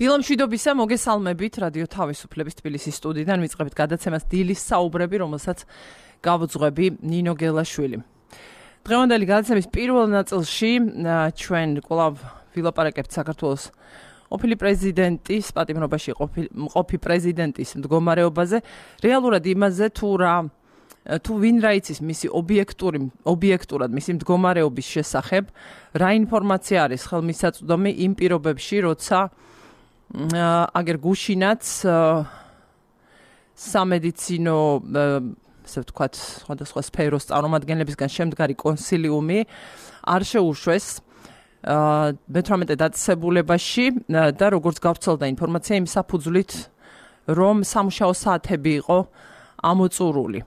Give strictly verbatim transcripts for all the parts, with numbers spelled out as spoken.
დილამშვიდობისა, მოგესალმებით რადიო თავისუფლების თბილისის სტუდიიდან ვიწყებთ გადაცემას დილის საუბრები, რომელსაც გავუძღვები ნინო გელაშვილი. დღევანდელი გადაცემის პირველ ნაწილში ჩვენ კვლავ ვილაპარაკებთ საქართველოს ყოფილი პრეზიდენტის პატიმრობაში ყოფი პრეზიდენტის მდგომარეობაზე, რეალურად იმაზე თუ რა თუ ვინ რა იცის მისი ობიექტური ობიექტურად მისი მდგომარეობის შესახებ, რა ინფორმაცია არის ხელმისაწვდომი იმ პირობებში, როცა აგერ გუშინაც სამედიცინო ასე ვთქვათ, სხვადასხვა სფეროს წარმომადგენლებისგან შემდგარი კონსილიუმი არ შეუშვეს მეთვრამეტე დაწესებულებაში და როგორც გავრცელდა ინფორმაცია იმ საფუძვლით, რომ სამუშაო საათები იყო ამოწურული.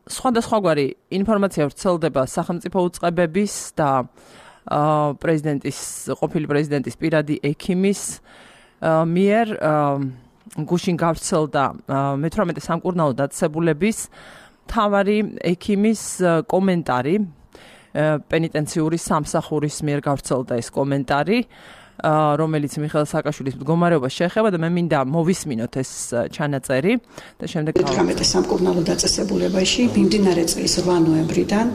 სხვადასხვაგვარი ინფორმაცია ვრცელდება სახელმწიფო უწყებების და პრეზიდენტის ყოფილი პრეზიდენტის პირადი ექიმის მიერ გუშინ გავრცელდა მეთვრამეტე სამკურნალო დაწესებულების მთავარი ექიმის კომენტარი, პენიტენციური სამსახურის მიერ გავრცელდა ეს კომენტარი, რომელიც მიხეილ სააკაშვილის მდგომარეობას შეეხება და მე მინდა მოვისმინოთ ეს ჩანაწერი და შემდეგ მეთვრამეტე სამკურნალო დაწესებულებაში მიმდინარე წლის რვა ნოემბრიდან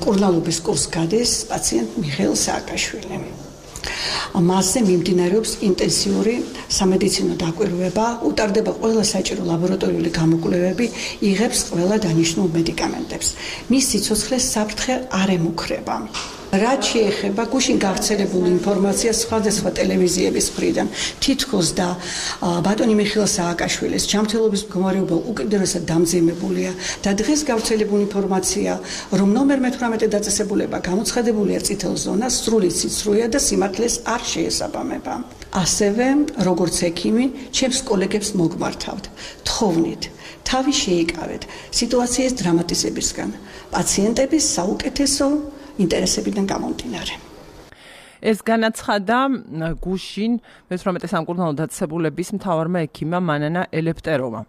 მკურნალობის კურსს გადის პაციენტ მიხეილ სააკაშვილი. მასზე მიმდინარეობს ინტენსიური სამედიცინო დაკვირვება, უტარდება ყველა საჭირო ლაბორატორიული გამოკვლევები, იღებს ყველა დანიშნულ მედიკამენტებს. მის სიცოცხლეს საფრთხე არ ემუქრება. რაც შეეხება გუშინ გავრცელებულ ინფორმაციას სხვადასხვა ტელევიზიების მხრიდან, თითქოს და ბატონი მიხეილ სააკაშვილის ჯანმრთელობის მდგომარეობა უკიდურესად დამძიმებულია და დღეს გავრცელებული ინფორმაცია, რომ ნომერ მეთვრამეტე დაწესებულება გამოცხადებულია წითელ ზონას, სრული სიცრუეა და სიმართლეს არ შეესაბამება. ასევე, როგორც ექიმი, ჩემს კოლეგებს მოგმართავთ, თხოვნით, თავი შეიკავეთ სიტუაციის დრამატიზებისგან, პაციენტების საუკეთესო ინტერესებიდან გამომდინარე. ეს განაცხადა გუშინ მეთვრამეტე სამკურნალო დაწესებულების მთავარმა ექიმმა მანანა ელეფტეროვამ.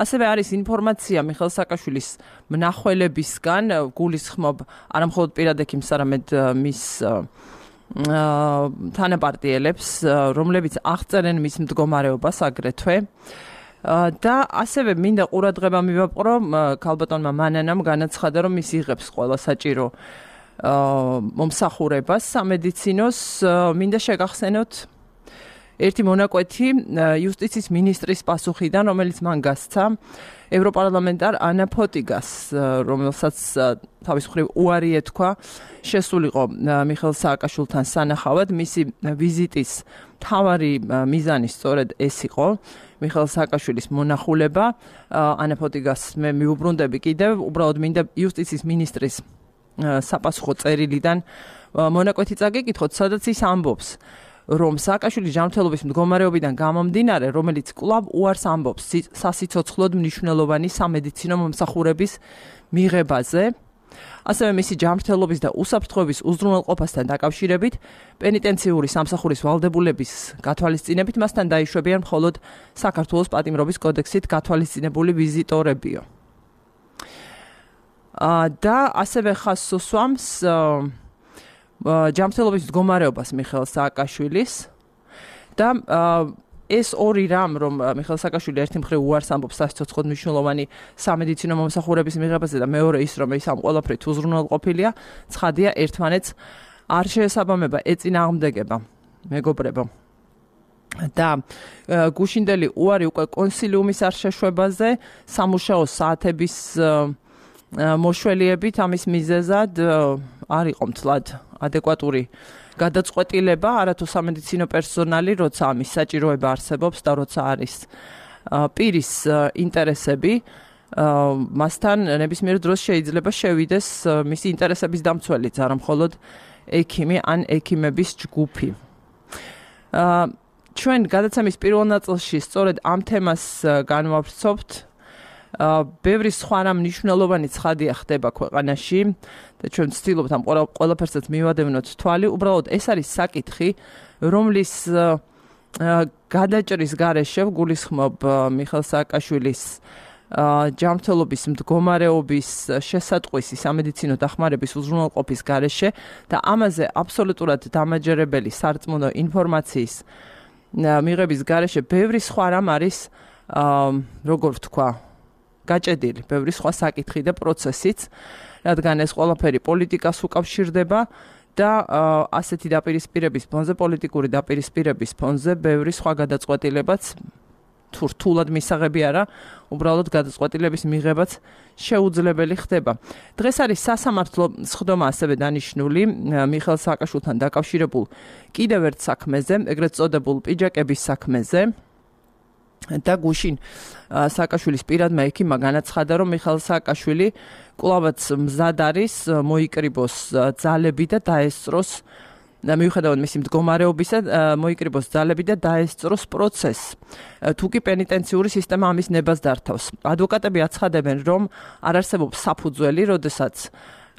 ასევე არის ინფორმაცია მიხეილ სააკაშვილის მნახველებისგან, გულისხმობ არა მხოლოდ პირად ექიმს, არამედ მის თანაპარტიელებს, რომლებიც აღწერენ მის მდგომარეობას აგრეთვე. და ასევე მინდა ყურადღება მივაპყრო ქალბატონმა მანანამ განაცხადა, რომ ის იღებს ყველა საჭირო მომსახურებას სამედიცინოს. მინდა შეგახსენოთ ერთი მონაკვეთი იუსტიციის მინისტრის პასუხიდან, რომელიც მან გასცა ევროპარლამენტარ ანა ფოტიგას, რომელსაც თავის მხრივ უარი ეთქვა შესულიყო მიხეილ სააკაშვილთან სანახავად. მისი ვიზიტის მთავარი მიზანი სწორედ ეს იყო, მიხეილ სააკაშვილის მონახულება. ანა ფოტიგას მე მიუბრუნდები კიდევ, უბრალოდ მინდა იუსტიციის მინისტრის საპასუხო წერილიდან მონაკვეთი წაგეკითხოთ, სადაც ის ამბობს, რომ სააკაშვილის ჯანმრთელობის მდგომარეობიდან გამომდინარე, რომელიც კვლავ უარს ამბობს სასიცოცხლოდ მნიშვნელოვანი სამედიცინო მომსახურების მიღებაზე, ასევე მისი ჯანმრთელობის და უსაფრთხოების უზრუნველყოფასთან დაკავშირებით, პენიტენციური სამსახურის ვალდებულების გათვალისწინებით მასთან დაიშვებიან მხოლოდ საქართველოს პატიმრობის კოდექსით გათვალისწინებული ვიზიტორებიო. და ასევე ხაზს უსვამს ჯანმრთელობის მდგომარეობას მიხეილ სააკაშვილის და ეს ორი რამ, რომ მიხეილ სააკაშვილი ერთი მხრივ უარს ამბობს სასიცოცხლოდ მნიშვნელოვანი სამედიცინო მომსახურების მიღებაზე და მეორე ის, რომ ის ამ ყველაფრით უზრუნველყოფილია, ცხადია ერთმანეთს არ შეესაბამება, ეწინააღმდეგება, მეგობრებო. და გუშინდელი უარი უკვე კონსილიუმის არ შეშვებაზე, სამუშაო საათების მოშველიებით ამის მიზეზად არ იყო მთლად ადეკვატური გადაწყვეტილება, არათუ სამედიცინო პერსონალი, როცა ამის საჭიროება არსებობს და როცა არის პირის ინტერესები, მასთან ნებისმიერ დროს შეიძლება შევიდეს მისი ინტერესების დამცველიც, არა მხოლოდ ექიმი ან ექიმების ჯგუფი. ჩვენ გადაცემის პირველ ნაწილში სწორედ ამ თემას განვავრცობთ. ბევრი სხვა რამ მნიშვნელოვანი ცხადია ხდება ქვეყანაში და ჩვენ ვცდილობთ ამ ყველაფერსაც მივადევნოთ თვალი. უბრალოდ ეს არის საკითხი, რომლის გადაჭრის გარეშე გულისხმობ მიხეილ სააკაშვილის ჯანმრთელობის მდგომარეობის შესატყვისი სამედიცინო დახმარების უზრუნველყოფის გარეშე და ამაზე აბსოლუტურად დამაჯერებელი სარწმუნო ინფორმაციის მიღების გარეშე ბევრი სხვა რამ არის როგორ ვთქვა გაჭედილი, ბევრი სხვა საკითხი და პროცესიც, რადგან ეს ყველაფერი პოლიტიკას უკავშირდება და ასეთი დაპირისპირების ფონზე, პოლიტიკური დაპირისპირების ფონზე ბევრი სხვა გადაწყვეტილებაც თუ რთულად მისაღები არა, უბრალოდ გადაწყვეტილების მიღებაც შეუძლებელი ხდება. დღეს არის სასამართლო სხდომა ასევე დანიშნული მიხეილ სააკაშვილთან დაკავშირებულ კიდევ ერთ საქმეზე, ეგრეთ წოდებულ პიჯაკების საქმეზე. და გუშინ სააკაშვილის პირადმა ექიმმა განაცხადა, რომ მიხეილ სააკაშვილი კვლავაც მზად არის მოიკრიბოს ძალები და დაესწროს და მიუხედავად მისი მდგომარეობისა, მოიკრიბოს ძალები და დაესწროს პროცესს. თუ კი პენიტენციური სისტემა ამის ნებას დართავს. ადვოკატები აცხადებენ, რომ არ არსებობს საფუძველი, როდესაც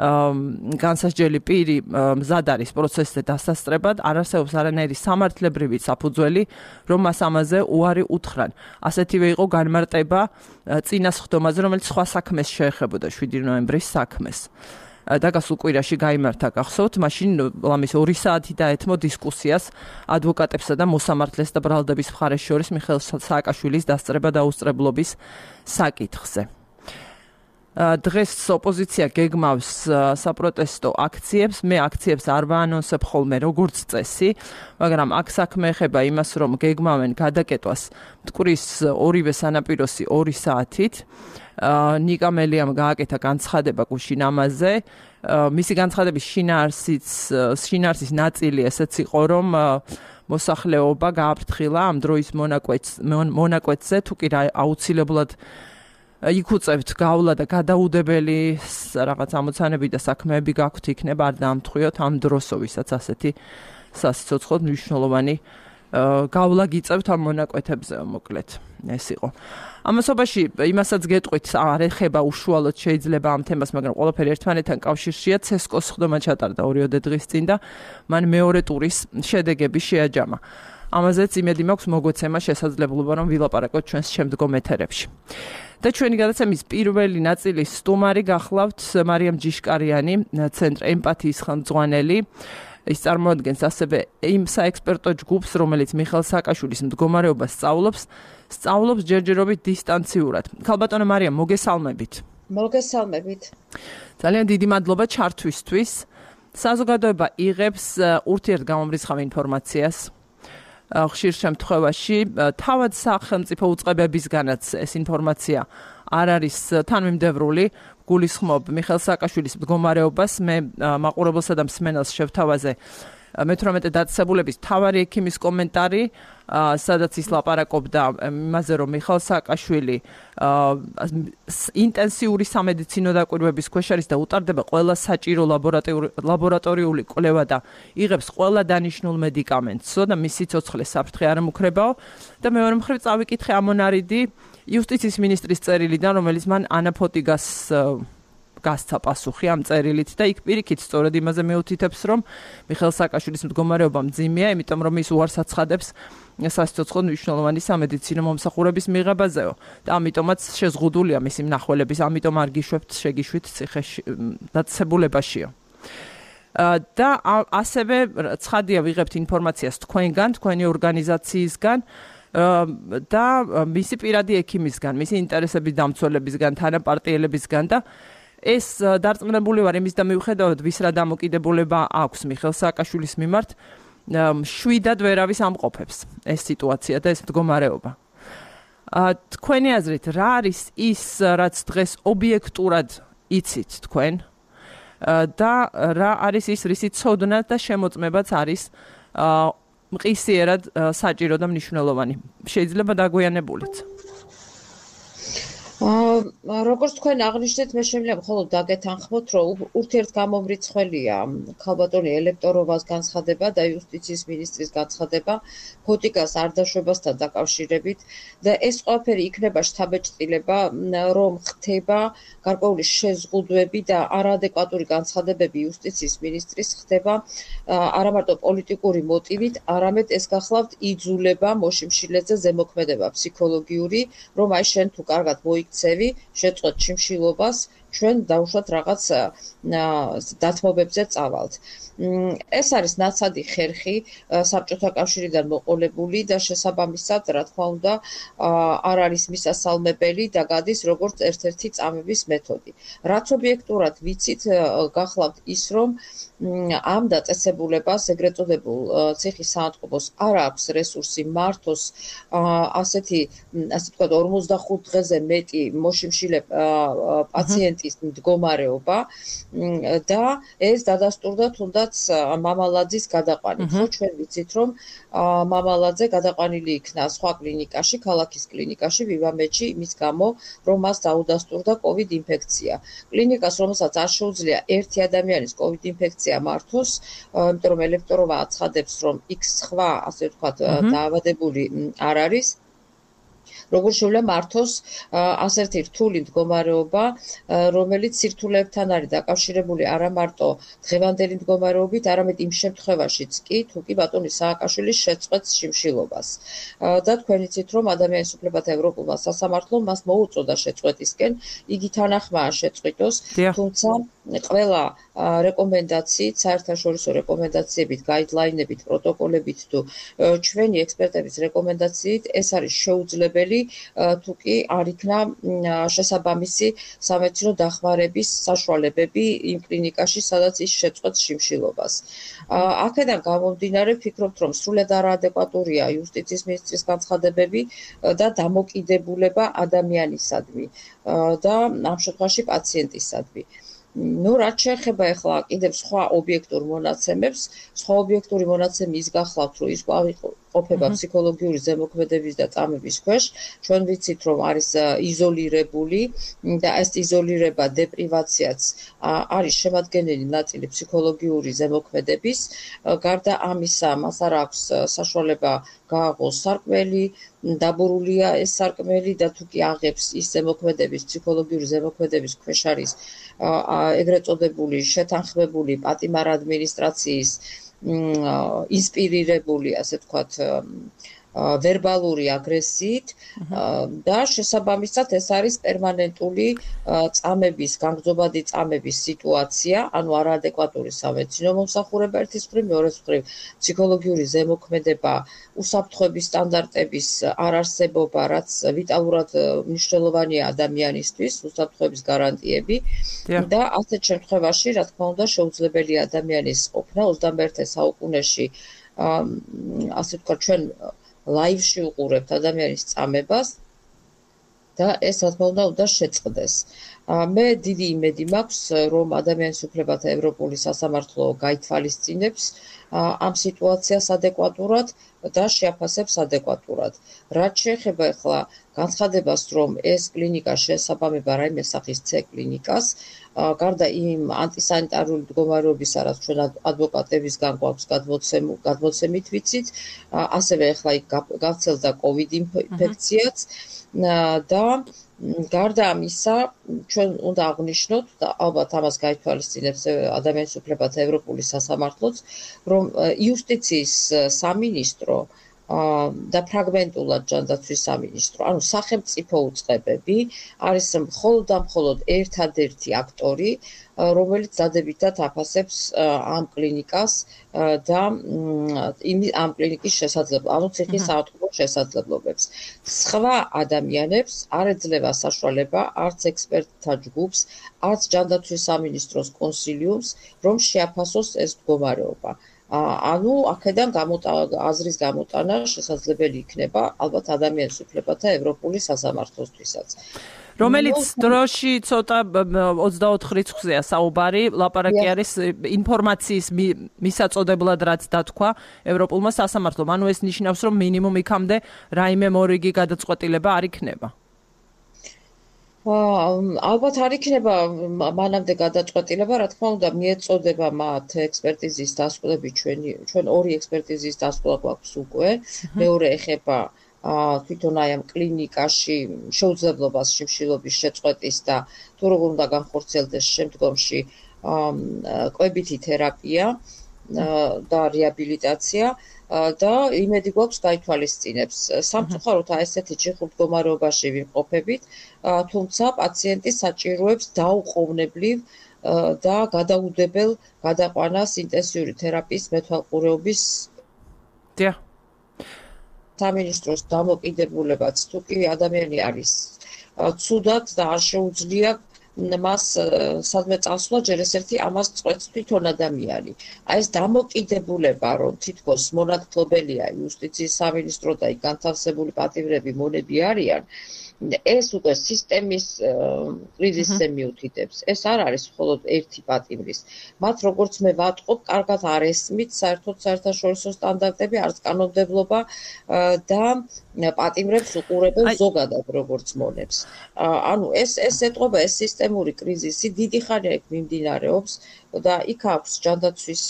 განსასჯელი პირი მზად არის პროცესზე დასასწრებად, არ არსებობს არანაირი სამართლებრივი საფუძველი, რომ მას ამაზე უარი უთხრან. ასეთივე იყო განმარტება წინა სხდომაზე, რომელიც სხვა საქმეს შეეხებოდა, შვიდი ნოემბრის საქმეს. და გასულ კვირაში გაიმართა გახსოვთ, მაშინ ლამის ორი საათი დაეთმო დისკუსიას ადვოკატებსა და მოსამართლეს და ბრალდების მხარეს შორის მიხეილ სააკაშვილის დასწრება და აუსწრებლობის საკითხზე. დღეს ოპოზიცია გეგმავს საპროტესტო აქციებს, მე აქციებს არ ვაანონსებ ხოლმე როგორც წესი, მაგრამ აქ საქმე ეხება იმას, რომ გეგმავენ გადაკეტვას მტკვრის ორივე სანაპიროსი ორი საათით. ნიკა მელიამ გააკეთა განცხადება გუშინ ამაზე. მისი განცხადების შინაარსიც, შინაარსის ნაწილი ესეც იყო, რომ მოსახლეობა გააფრთხილა ამ დროის მონაკვეთზე, თუ კი აუცილებლად იკუწევთ გავლა და გადაუდებელი რაღაც ამოცანები და საქმეები გაქვთ იქნება, არ დაამთხვიოთ ამ დროსო, ვისაც ასეთი სასიცოცხლოდ მნიშვნელოვანი გავლა გიწევთ ამ მონაკვეთებზე, მოკლედ ეს იყო. ამასობაში იმასაც გეტყვით, არ ეხება უშუალოდ შეიძლება ამ თემას, მაგრამ ყველაფერი ერთმანეთთან კავშირშია. ცესკოს სხდომა ჩატარდა ორიოდე დღის წინ და მან მეორე ტურის შედეგები შეაჯამა. ამაზეც იმედი მაქვს მოგვეცემა შესაძლებლობა, რომ ვილაპარაკოთ ჩვენს შემდგომ ეთერებში. და ჩვენი გადაცემის პირველი ნაწილის სტუმარი გახლავთ მარიამ ჯიშკარიანი, ცენტრ ემპათიის ხელმძღვანელი. ის წარმოადგენს ასევე იმ საექსპერტო ჯგუფს, რომელიც მიხეილ სააკაშვილის მდგომარეობას სწავლობს, სწავლობს ჯერჯერობით დისტანციურად. ქალბატონო მარიამ, მოგესალმებით. მოგესალმებით. ძალიან დიდი მადლობა ჩართვისთვის. საზოგადოება იღებს ურთიერთგამომრიცხავ ინფორმაციას. ხშირ შემთხვევაში თავად სახელმწიფო უწყებებისგანაც ეს ინფორმაცია არ არის თანმიმდევრული. გულისხმობ მიხეილ სააკაშვილის მდგომარეობას, მე მაყურებელსა და მსმენელს შევთავაზე მეთვრამეტე დაწესებულების მთავარი ექიმის კომენტარი, სადაც ის ლაპარაკობდა იმაზე, რომ მიხეილ სააკაშვილი ინტენსიური სამედიცინო დაკვირვების ქვეშ არის და უტარდება ყველა საჭირო ლაბორატორიული კვლევა და იღებს ყველა დანიშნულ მედიკამენტსო და მისი ცოცხლე საფრთხე არ მუქრებაო. და მეორე მხრივ წავიკითხე ამონარიდი იუსტიციის მინისტრის წერილიდან, რომელიც მან ანა ფოტიგას გასცა პასუხი ამ წერილით და იქ პირიქით სწორედ იმაზე მეუთითებს, რომ მიხეილ სააკაშვილის მდგომარეობა მძიმეა, იმიტომ რომ ის უარს აცხადებს სასიცოცხლოდ მნიშვნელოვანი სამედიცინო მომსახურების მიღებაზეო და ამიტომაც შეზღუდულია მისი მნახველების, ამიტომ არ გიშვებთ შეგიშვით ციხეში დაწესებულებაშიო. და ასევე ცხადია ვიღებთ ინფორმაციას თქვენგან, თქვენი ორგანიზაციისგან და მისი პირადი ექიმისგან, მისი ინტერესების დამცველებისგან, თანაპარტიელებისგან და ეს დარწმუნებული ვარ იმის და მიუხედავად ვის რა დამოკიდებულება აქვს მიხეილ სააკაშვილის მიმართ, შვიდად ვერავის ამყოფებს ეს სიტუაცია და ეს მდგომარეობა. თქვენი აზრით, რა არის ის, რაც დღეს ობიექტურად იცით თქვენ და რა არის ის, რისი ცოდნა და შემოწმებაც არის მყისიერად საჭირო და მნიშვნელოვანი? შეიძლება დაგვიანებულიც. როგორც თქვენ აღნიშნეთ, მე შემიძლია მხოლოდ დაგეთანხმოთ, რომ ურთიერთგამომრიცხველია ქალბატონი ელექტოროვას განცხადება და იუსტიციის მინისტრის განცხადება ფოტიკას არდაშვებასთან დაკავშირებით და ეს ყველაფერი იქნება შთაბეჭდილება, რომ ხდება გარკვეული შეზღუდვები და არაადეკვატური განცხადებები იუსტიციის მინისტრის ხდება არა მარტო პოლიტიკური მოტივით, არამედ ეს გახლავთ იძულება მოშიმშილეზე ზემოქმედება ფსიქოლოგიური, რომ აი შენ თუ კარგად მოიქცევი, შეწყვეტ შიმშილობას ჩვენ დავუშვათ რაღაც დათმობებზე წავალთ. ეს არის ნაცადი ხერხი საბჭოთა კავშირიდან მოყოლებული და შესაბამისად, რა თქმა უნდა, არ არის მისასალმებელი და გადის როგორც ერთ-ერთი წამების მეთოდი. რაც ობიექტურად ვიცით, გახლავთ ის, რომ ამ დაწესებულებას, ეგრეთ წოდებულ ციხის საავადმყოფოს არ აქვს რესურსი მართოს ასეთი, ასე ვთქვათ, ორმოცდახუთ დღეზე მეტი მოშიმშილე პაციენტის მდგომარეობა და ეს დადასტურდა თუნდაც მამალაძის გადაყვანით. ხო, ჩვენ ვიცით, რომ მამალაძე გადაყვანილი იქნა სხვა კლინიკაში, ქალაქის კლინიკაში, ვივამეთში, იმის გამო, რომ მას დაუდასტურდა კოვიდ ინფექცია. კლინიკას, რომელსაც არ შეუძლია ერთი ადამიანის კოვიდ ინფექცია მართოს, იმიტომ რომ ელექტროვა აცხადებს, რომ იქ სხვა, ასე ვთქვათ, დაავადებული არ არის. როგორ შეუძლია მართოს ასეთი რთული მდგომარეობა, რომელიც სირთულეებთან არის დაკავშირებული არა მარტო დღევანდელი მდგომარეობით, არამედ იმ შემთხვევაშიც კი, თუ კი ბატონი სააკაშვილის შეწყვეტს შიმშილობას. და თქვენ იცით, რომ ადამიანის უფლებათა ევროპულმა სასამართლომ მას მოუწოდა შეწყვეტისკენ, იგი თანახმაა შეწყვიტოს, თუმცა ყველა რეკომენდაციით, საერთაშორისო რეკომენდაციებით, გაიდლაინებით, პროტოკოლებით თუ ჩვენი ექსპერტების რეკომენდაციით ეს არის შეუძლებელი, თუ კი არ იქნა შესაბამისი სამედიცინო დახმარების საშუალებები იმ კლინიკაში, სადაც ის შეწყვეტს შიმშილობას. აქედან გამომდინარე, ვფიქრობთ, რომ სრულად არაადეკვატურია იუსტიციის მინისტრის განცხადებები და დამოკიდებულება ადამიანისადმი და ამ შემთხვევაში პაციენტისადმი. ნუ რაც შეეხება ახლა კიდევ სხვა ობიექტურ მონაცემებს, სხვა ობიექტური მონაცემი ის გახლავთ, რომ ის ყოფება ფსიქოლოგიური ზემოქმედების და წამების ქვეშ, ჩვენ ვიცით, რომ არის იზოლირებული და ეს იზოლირება, დეპრივაციაც არის შემადგენელი ნაწილი ფსიქოლოგიური ზემოქმედების. გარდა ამისა, მას არ აქვს საშუალება გააღოს სარკმელი, დაბურულია ეს სარკმელი და თუ კი აღებს ის ზემოქმედების, ფსიქოლოგიური ზემოქმედების ქვეშ არის ეგრეთ წოდებული შეთანხმებული პატიმარ ადმინისტრაციის ინსპირირებული, ასე ვთქვათ, ვერბალური აგრესიით და შესაბამისად ეს არის პერმანენტული წამების, განგრძობადი წამების სიტუაცია, ანუ არაადეკვატური სამედიცინო მომსახურება ერთის მხრივ, მეორეს მხრივ ფსიქოლოგიური ზემოქმედება, უსაფრთხოების სტანდარტების არარსებობა, რაც ვიტალურად მნიშვნელოვანია ადამიანისთვის, უსაფრთხოების გარანტიები და ასეთ შემთხვევაში, რა თქმა უნდა, შეუძლებელია ადამიანის ყოფნა ოცდამეერთე საუკუნეში, ასე ვთქვათ, ჩვენ ლაივში უყურებთ ადამიანის წამებას და ეს რა თქმა უნდა უნდა შეწყდეს. მე დიდი იმედი მაქვს, რომ ადამიანის უფლებათა ევროპული სასამართლო გაითვალისწინებს ამ სიტუაციას ადეკვატურად და შეაფასებს ადეკვატურად. რაც შეეხება ახლა განცხადებას, რომ ეს კლინიკა შეესაბამება რაიმე სახის C კლინიკას, გარდა იმ ანტისანიტარული მდგომარეობისა, რაც ჩვენ ადვოკატებისგან გვაქვს გადმოცემით ვიცით, ასევე ახლა იქ გავრცელდა კოვიდ ინფექციაც და გარდა ამისა, ჩვენ უნდა აღვნიშნოთ და ალბათ ამას გაითვალისწინებს ადამიანის უფლებათა ევროპული სასამართლოც, რომ იუსტიციის სამინისტრო და ფრაგმენტულად ჯანდაცვის სამინისტრო, ანუ სახელმწიფო უწყებები არის მხოლოდ და მხოლოდ ერთადერთი აქტორი, რომელიც დადებითად აფასებს ამ კლინიკას და ამ კლინიკის შესაძლებლობებს, ანუ ციხის საავადმყოფოს შესაძლებლობებს. სხვა ადამიანებს არ ეძლევა საშუალება არც ექსპერტთა ჯგუფს, არც ჯანდაცვის სამინისტროს კონსილიუმს, რომ შეაფასოს ეს მდგომარეობა. ანუ აქედან აზრის გამოტანა შესაძლებელი იქნება ალბათ ადამიანის უფლებათა ევროპული სასამართლოსთვისაც. რომელიც დროში ცოტა ოცდაოთხ რიცხვზეა საუბარი, ლაპარაკი არის ინფორმაციის მისაწოდებლად რაც დათქვა ევროპულმა სასამართლომ. ანუ ეს ნიშნავს, რომ მინიმუმ იქამდე რაიმე მორიგი გადაწყვეტილება არ იქნება. ალბათ არ იქნება მანამდე გადაწყვეტილება, რა თქმა უნდა, მიეწოდება მათ ექსპერტიზის დასკვნები, ჩვენი ჩვენ ორი ექსპერტიზის დასკვნა გვაქვს უკვე, მეორე ეხება თვითონ აი ამ კლინიკაში შეუძლებლობას შიმშილობის შეწყვეტის და თუ როგორ უნდა განხორციელდეს შემდგომში კვებითი თერაპია და რეაბილიტაცია. და იმედი გვაქვს გაითვალისწინებს. სამწუხაროდ ესეთი ჩიხურ მდგომარეობაში ვიმყოფებით, თუმცა პაციენტი საჭიროებს დაუყოვნებლივ და გადაუდებელ გადაყვანას ინტენსიური თერაპიის მეთვალყურეობის დიახ. სამინისტროს დამოკიდებულებაც თუ კი ადამიანი არის ცუდად და არ შეუძლია მას სადმე წასვლა, ჯერ ეს ერთი ამას წყვეტს თვითონ ადამიანი. აი ეს დამოკიდებულება, რომ თითქოს მონათმფლობელია იუსტიციის სამინისტრო და იქ განთავსებული პატიმრები მონები არიან, ეს უკვე სისტემის კრიზისზე მიუთითებს. ეს არ არის მხოლოდ ერთი პატიმრის. მათ როგორც მე ვატყობ, კარგად არ ესმით საერთოდ საერთაშორისო სტანდარტები, არც კანონმდებლობა და პატიმრებს უყურებენ ზოგადად როგორც მონებს. ანუ ეს ეს ეტყობა, ეს სისტემური კრიზისი დიდი ხანია იქ მიმდინარეობს და იქ აქვს ჯანდაცვის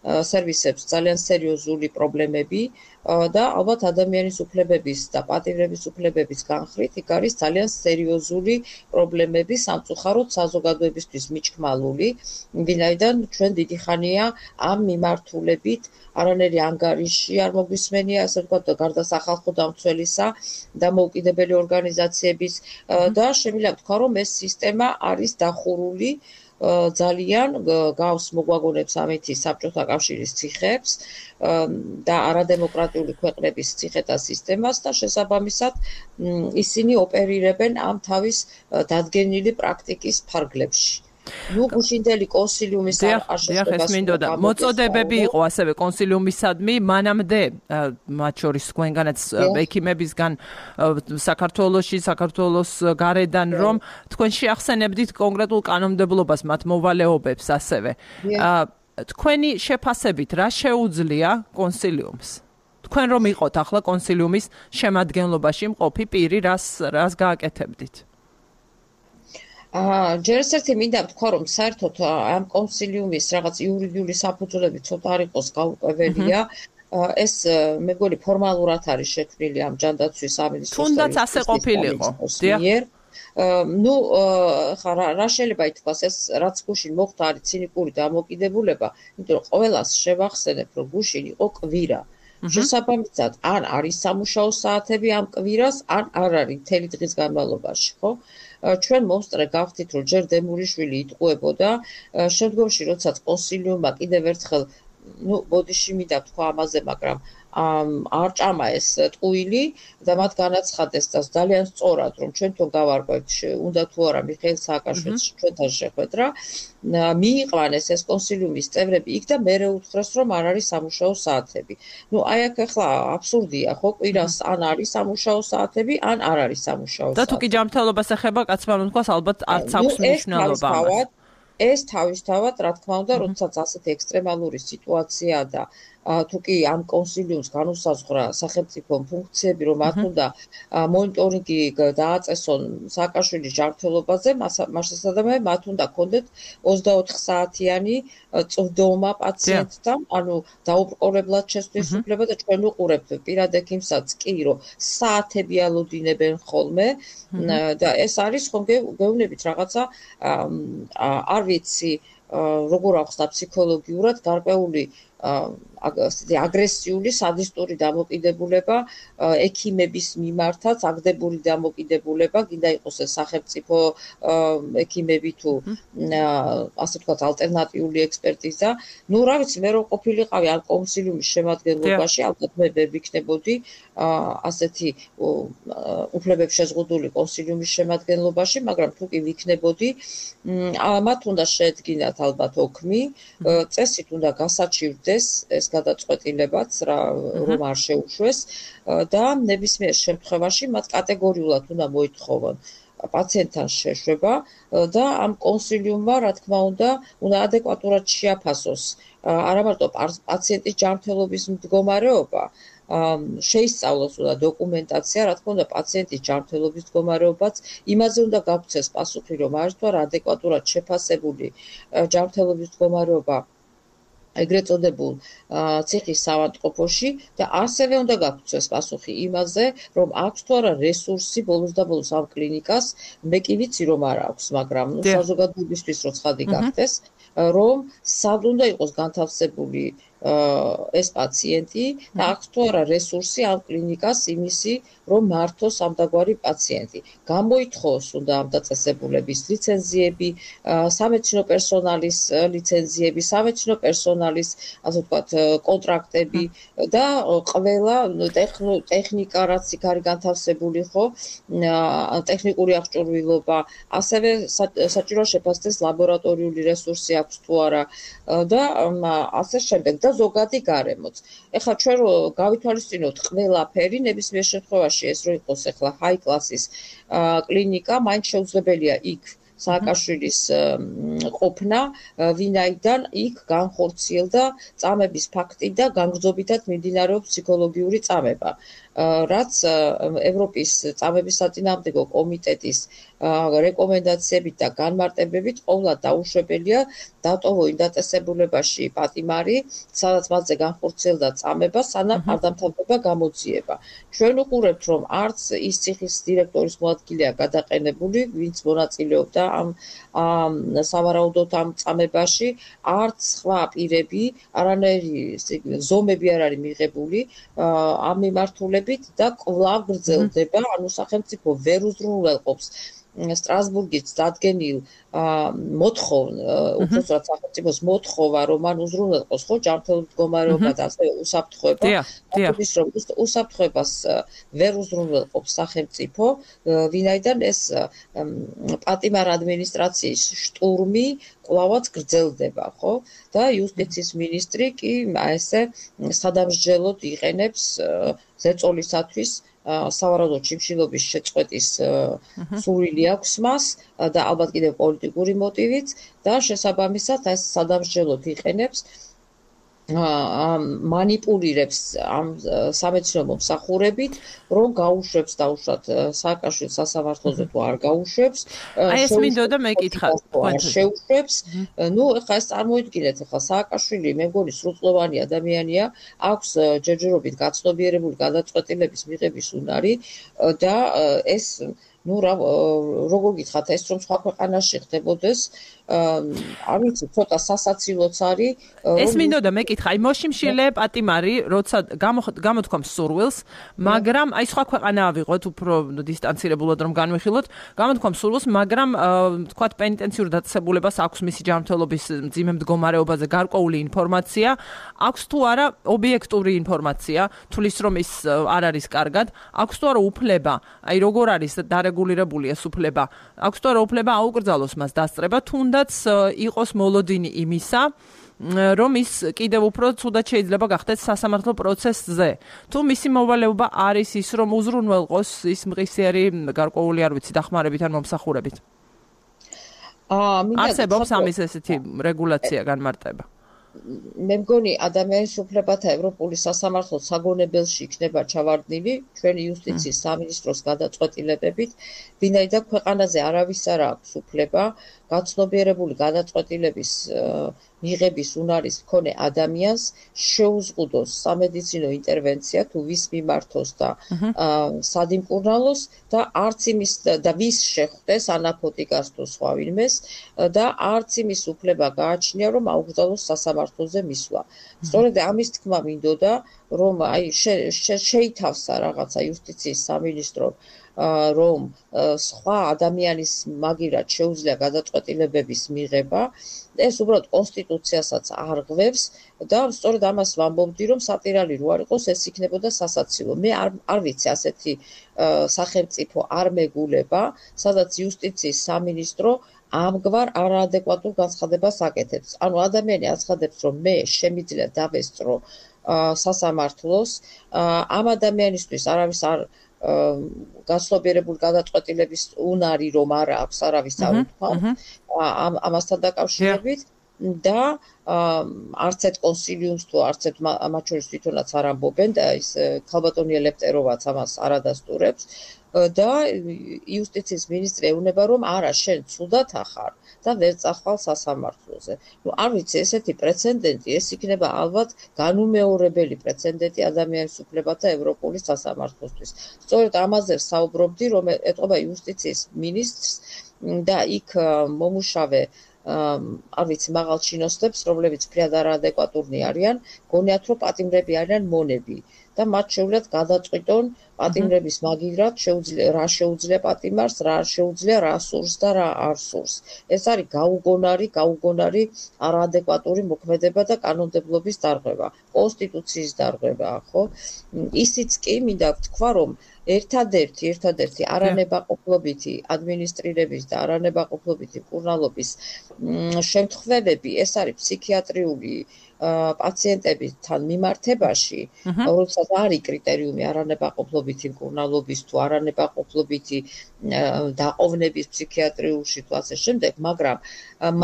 სერვისებს ძალიან სერიოზული პრობლემები და ალბათ ადამიანის უფლებების და პატიმრების უფლებების განხრით იქ არის ძალიან სერიოზული პრობლემები სამწუხაროდ საზოგადოებისთვის მიჩქმალული, ვინაიდან ჩვენ დიდი ხანია ამ მიმართულებით არანაირი ანგარიში არ მოგვისმენია, ასე ვთქვათ, გარდა სახალხო დამცველისა და მოუკიდებელი ორგანიზაციების და შემიძლია ვთქვა, რომ ეს სისტემა არის დახურული ძალიან გავს მოგვაგონებს ამითი საბჭოთა კავშირის ციხეებს და არადემოკრატიული ქვეყნების ციხეთა სისტემას და შესაბამისად ისინი ოპერირებენ ამ თავის დადგენილი პრაქტიკის ფარგლებში. ნუ გუშინდელი კონსილიუმის არ შესაძლებლობა მოწოდებები იყო ასევე კონსილიუმისადმი მანამდე მათ შორის თქვენგანაც ექიმებისგან საქართველოში საქართველოს გარედან რომ თქვენ შეახსენებდით კონკრეტულ კანონმდებლობას მათ მოვალეობებს ასევე თქვენი შეფასებით რა შეუძლია კონსილიუმს თქვენ რომ იყოთ ახლა კონსილიუმის შემადგენლობაში მყოფი პირი რას რას გააკეთებდით აა ჯერ ერთი მინდა ვთქვა რომ საერთოდ ამ კონსილიუმის რაღაც იურიდიული საფუძვლები ცოტა არ იყოს გაურკვეველია ეს მე მგონი ფორმალურად არის შექმნილი ამ ჯანდაცვის სამინისტროს თუნდაც ასე ყოფილიყო დიახ ну რა შეიძლება ითქვას ეს რაც გუშინ მოხდა არის ცინიკური დამოკიდებულება იმიტომ რომ ყველას შევახსენებ რომ გუშინ იყო კვირა შესაბამისად ან არის სამუშაო საათები ამ კვირას ან არ არის მთელი დღის განმავლობაში ხო ჩვენ მომსწრე გავხდით რომ ჯერ დემურიშვილი იტყუებოდა შემდგომში როდესაც კონსილიუმმა კიდევ ერთხელ ну ბოდიში მინდა თქვა ამაზე მაგრამ არ ჭამა ეს ტყუილი და მათ განაცხადეს და ძალიან სწორად რომ ჩვენთან გავარკვევთ უნდა თუ არა მიხეილ სააკაშვილის ჩვენთან შეხვედრა მიიყვანეს ეს კონსილიუმის წევრები იქ და მერე უთხრეს რომ არ არის სამუშაო საათები. ну აი აქ ახლა აბსურდია ხო კვირას ან არის სამუშაო საათები ან არ არის სამუშაო საათები. და თუ კი ჯანმრთელობას ეხება კაცმა რომ თქვას ალბათ არც აქვს მნიშვნელობა ამას. ეს თავისთავად რა თქმა უნდა როდესაც ასეთი ექსტრემალური სიტუაცია და თუ კი ამ კონსილიუმს განუსაზღვრა სახელმწიფო ფუნქციები რომ მათ უნდა მონიტორინგი დააწესონ სააკაშვილის ჯანმრთელობაზე მას შესაძლოა მათ უნდა ქონდეთ ოცდაოთხ საათიანი წვდომა პაციენტთან ანუ დაუბრკოლებლად შესვლის უფლება და ჩვენ უყურებთ პირად ექიმსაც კი რომ საათები ალოდინებენ ხოლმე და ეს არის ხომ გეუბნებით რაღაცა არ ვიცი როგორ ახსნა ფსიქოლოგიურად გარკვეული აგრესიული სადისტური დამოკიდებულება ექიმების მიმართაც აგდებული დამოკიდებულება გინდა იყოს ეს სახელმწიფო ექიმები თუ ასე ვთქვათ ალტერნატიული ექსპერტიზა ну რა ვიცი მე რომ ყოფილიყავი ამ კონსილიუმის შემადგენლობაში ალბათ მე ვერ ვიქნებოდი ასეთი უფლებებს შეზღუდული კონსილიუმის შემადგენლობაში მაგრამ თუ კი ვიქნებოდი მათ უნდა შეედგინათ ალბათ ოქმი წესით უნდა გასაჩივრდეს ეს გადაწყვეტილებაც რომ არ შეუშვეს და ნებისმიერ შემთხვევაში მათ კატეგორიულად უნდა მოითხოვონ პაციენტთან შეშვება და ამ კონსილიუმმა რა თქმა უნდა უნდა ადეკვატურად შეაფასოს არა მარტო პაციენტის ჯანმრთელობის მდგომარეობა შეისწავლოს უნდა დოკუმენტაცია რა თქმა უნდა პაციენტის ჯანმრთელობის მდგომარეობაც იმაზე უნდა გაგვცეს პასუხი რომ არის თუ არა ადეკვატურად შეფასებული ჯანმრთელობის მდგომარეობა ეგრეთ წოდებულ ციხის ავადმყოფოში და ასევე უნდა გაგვცეს პასუხი იმაზე, რომ აქვს თუ არა რესურსი ბოლოს და ბოლოს ამ კლინიკას, მე კი ვიცი რომ არ აქვს, მაგრამ ნუ საზოგადოებისთვის რო ცხადი გახდეს, რომ სად უნდა იყოს განთავსებული ეს პაციენტი და აქვს თუ არა რესურსი ამ კლინიკას იმისი, რომ მართოს ამდაგვარი პაციენტი. გამოითხოვოს უნდა ამ დაწესებულების ლიცენზიები, სამედიცინო პერსონალის ლიცენზიები, სამედიცინო პერსონალის, ასე ვთქვათ, კონტრაქტები და ყველა ტექნიკა, რაც იქ არის განთავსებული, ხო, ტექნიკური აღჭურვილობა, ასევე საჭირო შეფასდეს ლაბორატორიული რესურსი აქვს თუ არა და ასე შემდეგ და ზოგადი გარემოც. ეხლა ჩვენ რო გავითვალისწინოთ ყველაფერი, ნებისმიერ შემთხვევაში ეს რო იყოს ეხლა high class-ის კლინიკა, მაინც შეუძლებელია იქ სააკაშვილის ყოფნა, ვინაიდან იქ განხორციელდა წამების ფაქტი და განგრძობითად მიმდინარეობს ფსიქოლოგიური წამება. რაც ევროპის წამების საწინააღმდეგო კომიტეტის რეკომენდაციებით და განმარტებებით ყოვლად დაუშვებელია დატოვო იმ დაწესებულებაში პატიმარი, სადაც მასზე განხორციელდა წამება, სანამ არ დამთავრდება გამოძიება. ჩვენ უყურებთ, რომ არც ის ციხის დირექტორის მოადგილეა გადაყენებული, ვინც მონაწილეობდა ამ სავარაუდოდ ამ წამებაში, არც სხვა პირები, არანაირი ზომები არ არის მიღებული ამ მიმართულებით და კვლავ გრძელდება, ანუ სახელმწიფო ვერ უზრუნველყოფს სტრასბურგის დადგენილ მოთხოვ, უпростоრად სახელმწიფოს მოთხოვა, რომ მან უზრუნველყოს ხო ჯანმრთელობის მდგომარეობა და ასე უსაფრთხოება, ის რომ უსაფრთხოებას ვერ უზრუნველყოფს სახელმწიფო, ვინაიდან ეს პატიმარ ადმინისტრაციის შტურმი კვლავაც გრძელდება, ხო? და იუსტიციის მინისტრი კი ესე სადამსჯელოდ იყენებს ზეწოლისათვის სავარაუდოდ შიმშილობის შეწყვეტის სურვილი აქვს მას და ალბათ კიდევ პოლიტიკური მოტივით და შესაბამისად ეს სადამსჯელოდ იყენებს მანიპულირებს ამ სამედიცინო მომსახურებით, რომ გაუშვებს დაუშვათ სააკაშვილს სასამართლოზე თუ არ გაუშვებს. აი ეს მინდოდა მეკითხა. შეუშვებს. ნუ ეხლა ეს წარმოიდგინეთ, ეხლა სააკაშვილი მე მგონი სრულწლოვანი ადამიანია, აქვს ჯერჯერობით გაცნობიერებული გადაწყვეტილების მიღების უნარი და ეს ნუ როგორ გითხრათ, ეს რომ სხვა ქვეყანაში ხდებოდეს, არ ვიცი, ცოტა სასაცილოც არის. ეს მინდოდა მეკითხა, აი მოშიმშილე პატიმარი, როცა გამოთქვამს სურვილს, მაგრამ აი სხვა ქვეყანა ავიღოთ, უფრო დისტანცირებულად რომ განვიხილოთ, გამოთქვამს სურვილს, მაგრამ თქვათ პენიტენციურ დაწესებულებას აქვს მისი ჯანმრთელობის მძიმე მდგომარეობაზე გარკვეული ინფორმაცია, აქვს თუ არა ობიექტური ინფორმაცია, თulis რომ ის არ არის კარგად, აქვს თუ არა უფლება, აი როგორ არის დარეგულირებულია უფლება, აქვს თუ არა უფლება აუკრძალოს მას დასწრება, თუნდაც იყოს მოლოდინი იმისა, რომ ის კიდევ უფრო ცუდად შეიძლება გახდეს სასამართლო პროცესზე. თუ მისი მოვალეობა არის ის, რომ უზრუნველყოს ის მღისიერი გარკვეული არ ვიცი დახმარებით ან მომსახურებით. არსებობს ამის ესეთი რეგულაცია განმარტება. მე მგონი ადამიანის უფლებათა ევროპული სასამართლო საგონებელში იქნება ჩავარდნილი ჩვენი იუსტიციის სამინისტროს გადაწყვეტილებებით, ვინაიდან ქვეყანაზე არავის არ აქვს უფლება გაცნობიერებული გადაწყვეტილების მიღების უნარის მქონე ადამიანს შეუზღუდოს სამედიცინო ინტერვენცია თუ ვის მიმართოს და სადიმკურნალოს და არც იმის და ვის შეხვდეს ანაფოტიკას თუ სხვა ვინმეს და არც იმის უფლება გააჩნია, რომ აუკრძალოს სასამართლოზე მისვლა. სწორედ ამის თქმა მინდოდა, რომ აი შეითავსა რაღაცა იუსტიციის სამინისტრო, რომ სხვა ადამიანის მაგირად შეუძლია გადაწყვეტილებების მიღება, ეს უბრალოდ კონსტიტუციასაც არღვევს და სწორედ ამას ვამბობდი, რომ სატირალი რო არ იყოს, ეს იქნებოდა სასაცილო. მე არ არ ვიცი ასეთი სახელმწიფო არ მეგულება, სადაც იუსტიციის სამინისტრო ამგვარ არაადეკვატურ განცხადებას აკეთებს. ანუ ადამიანი აცხადებს, რომ მე შემიძლია დავესწრო სასამართლოს, ამ ადამიანისთვის არავის არ გაცნობიერებული გადაწყვეტილების უნარი რომ არ აქვს, არავის არ უთქვამს ამასთან დაკავშირებით და არც ერთ კონსილიუმს თუ არც ერთ მათ შორის თვითონაც არ ამბობენ და ის ქალბატონი ელეპტეროვაც ამას არ ადასტურებს და იუსტიციის მინისტრი ეუბნება, რომ არა, შენ ცუდად ახარ და ვერ წახვალ სასამართლოზე. ნუ არ ვიცი, ესეთი პრეცედენტი, ეს იქნება ალბათ განუმეორებელი პრეცედენტი ადამიანის უფლებათა ევროპული სასამართლოსთვის. სწორედ ამაზე საუბრობდი, რომ ეტყობა იუსტიციის მინისტრს და იქ მომუშავე არ ვიცი, მაღალ ჩინოსნებს, რომლებიც ფრიად არაადეკვატურნი არიან, გონიათ, რომ პატიმრები არიან მონები და მათ შეუძლიათ გადაწყვიტონ პატიმრების მაგივრად შეუძლია რა შეუძლია პატიმარს, რა არ შეუძლია, რა სურს და რა არ სურს. ეს არის გაუგონარი, გაუგონარი არაადეკვატური მოქმედება და კანონმდებლობის დარღვევა, კონსტიტუციის დარღვევა, ხო? ისიც კი მინდა ვთქვა, რომ ერთადერთი, ერთადერთი არანებაყოფლობითი ადმინისტრირების და არანებაყოფლობითი მკურნალობის შემთხვევები, ეს არის ფსიქიატრიული პაციენტებთან მიმართებაში, როდესაც არის კრიტერიუმი არანებაყოფლობითი მკურნალობის თუ არანებაყოფლობითი დაყოვნების ფსიქიატრიულში თუ ასე შემდეგ, მაგრამ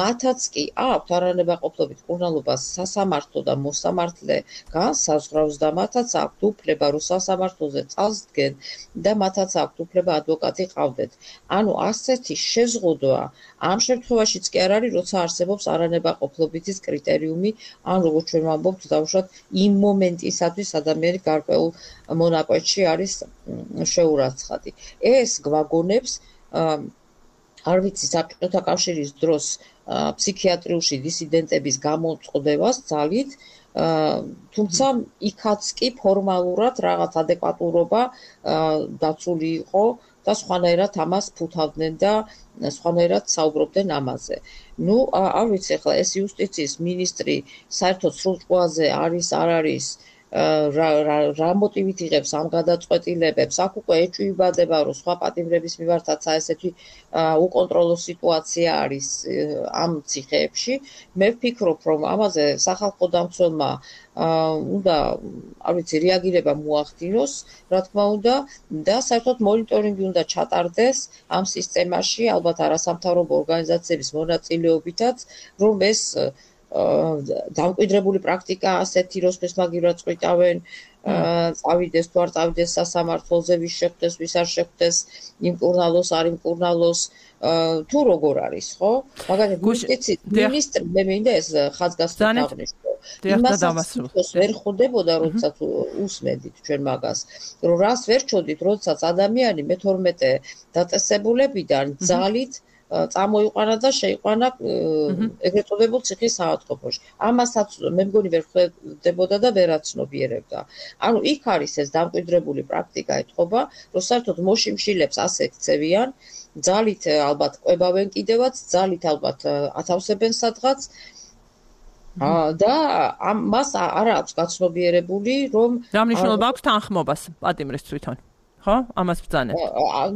მათაც კი აქვთ არანებაყოფლობით მკურნალობას სასამართლო და მოსამართლე განსაზღვრავს და მათაც აქვთ უფლება, რომ სასამართლოზე წასდგენ და მათაც აქვთ უფლება ადვოკატი ყავდეთ. ანუ ასეთი შეზღუდვა ამ შემთხვევაშიც კი არ არის, როცა არსებობს არანებაყოფლობითის კრიტერიუმი, ან როგორც ჩვენ ვამბობთ, დავუშვათ იმ მომენტისათვის ადამიანი გარკვეულ მონაკვეთში არის შეურაცხადი. ეს გვაგონებს არ ვიცი, საბჭოთა კავშირის დროს ფსიქიატრიულში დისიდენტების გამოწყდებას ძალით, თუმცა იქაც კი ფორმალურად რაღაც ადეკვატურობა დაცული იყო და სხვანაირად ამას ფუთავდნენ და სხვანაირად საუბრობდნენ ამაზე. ნუ არ ვიცი, ახლა ეს იუსტიციის მინისტრი საერთოდ სრულჭყვაზე არის, არ არის, რა მოტივით იღებს ამ გადაწყვეტილებებს, აქ უკვე ეჭვიბადება, რომ სხვა პატიმრების მიმართაც ესეთი უკონტროლო სიტუაცია არის ამ ციხეებში. მე ვფიქრობ, რომ ამაზე სახალხო დამცველმა უნდა, არ ვიცი, რეაგირება მოახდინოს, რა თქმა უნდა, და საერთოდ მონიტორინგი უნდა ჩატარდეს ამ სისტემაში, ალბათ არასამთავრობო ორგანიზაციების მონაწილეობითაც, რომ ეს დამკვიდრებული პრაქტიკა ასეთი, როსმეს მაგივრად წყვიტავენ, წავიდეს თუ არ წავიდეს სასამართლოზე, ვის შეხვდეს, ვის არ შეხვდეს, იმკურნალოს, არ იმკურნალოს, თუ როგორ არის, ხო? მაგალითად, იუსტიციის მინისტრი, მე მინდა ეს ხაზგასმით აღნიშნო. იმასაც ვერ ხვდებოდა, როდესაც უსმედით ჩვენ მაგას, რომ რას ვერ ჩოდით, როდესაც ადამიანი მეთორმეტე დაწესებულებიდან ძალით წამოიყვანა და შეიყვანა ეგრეთ წოდებულ ციხის საავადმყოფოში. ამასაც მე მგონი ვერ ხვდებოდა და ვერაცნობიერებდა. ანუ იქ არის ეს დამკვიდრებული პრაქტიკა ეთყობა, რომ საერთოდ მოშიმშილებს ასე ქცევიან, ძალით ალბათ ყვებავენ კიდევაც, ძალით ალბათ ათავსებენ სადღაც და მას არ აქვს გაცნობიერებული, რომ რა მნიშვნელობა აქვს თანხმობას პატიმრის თვითონ, ხო? ამას ბრძანებთ.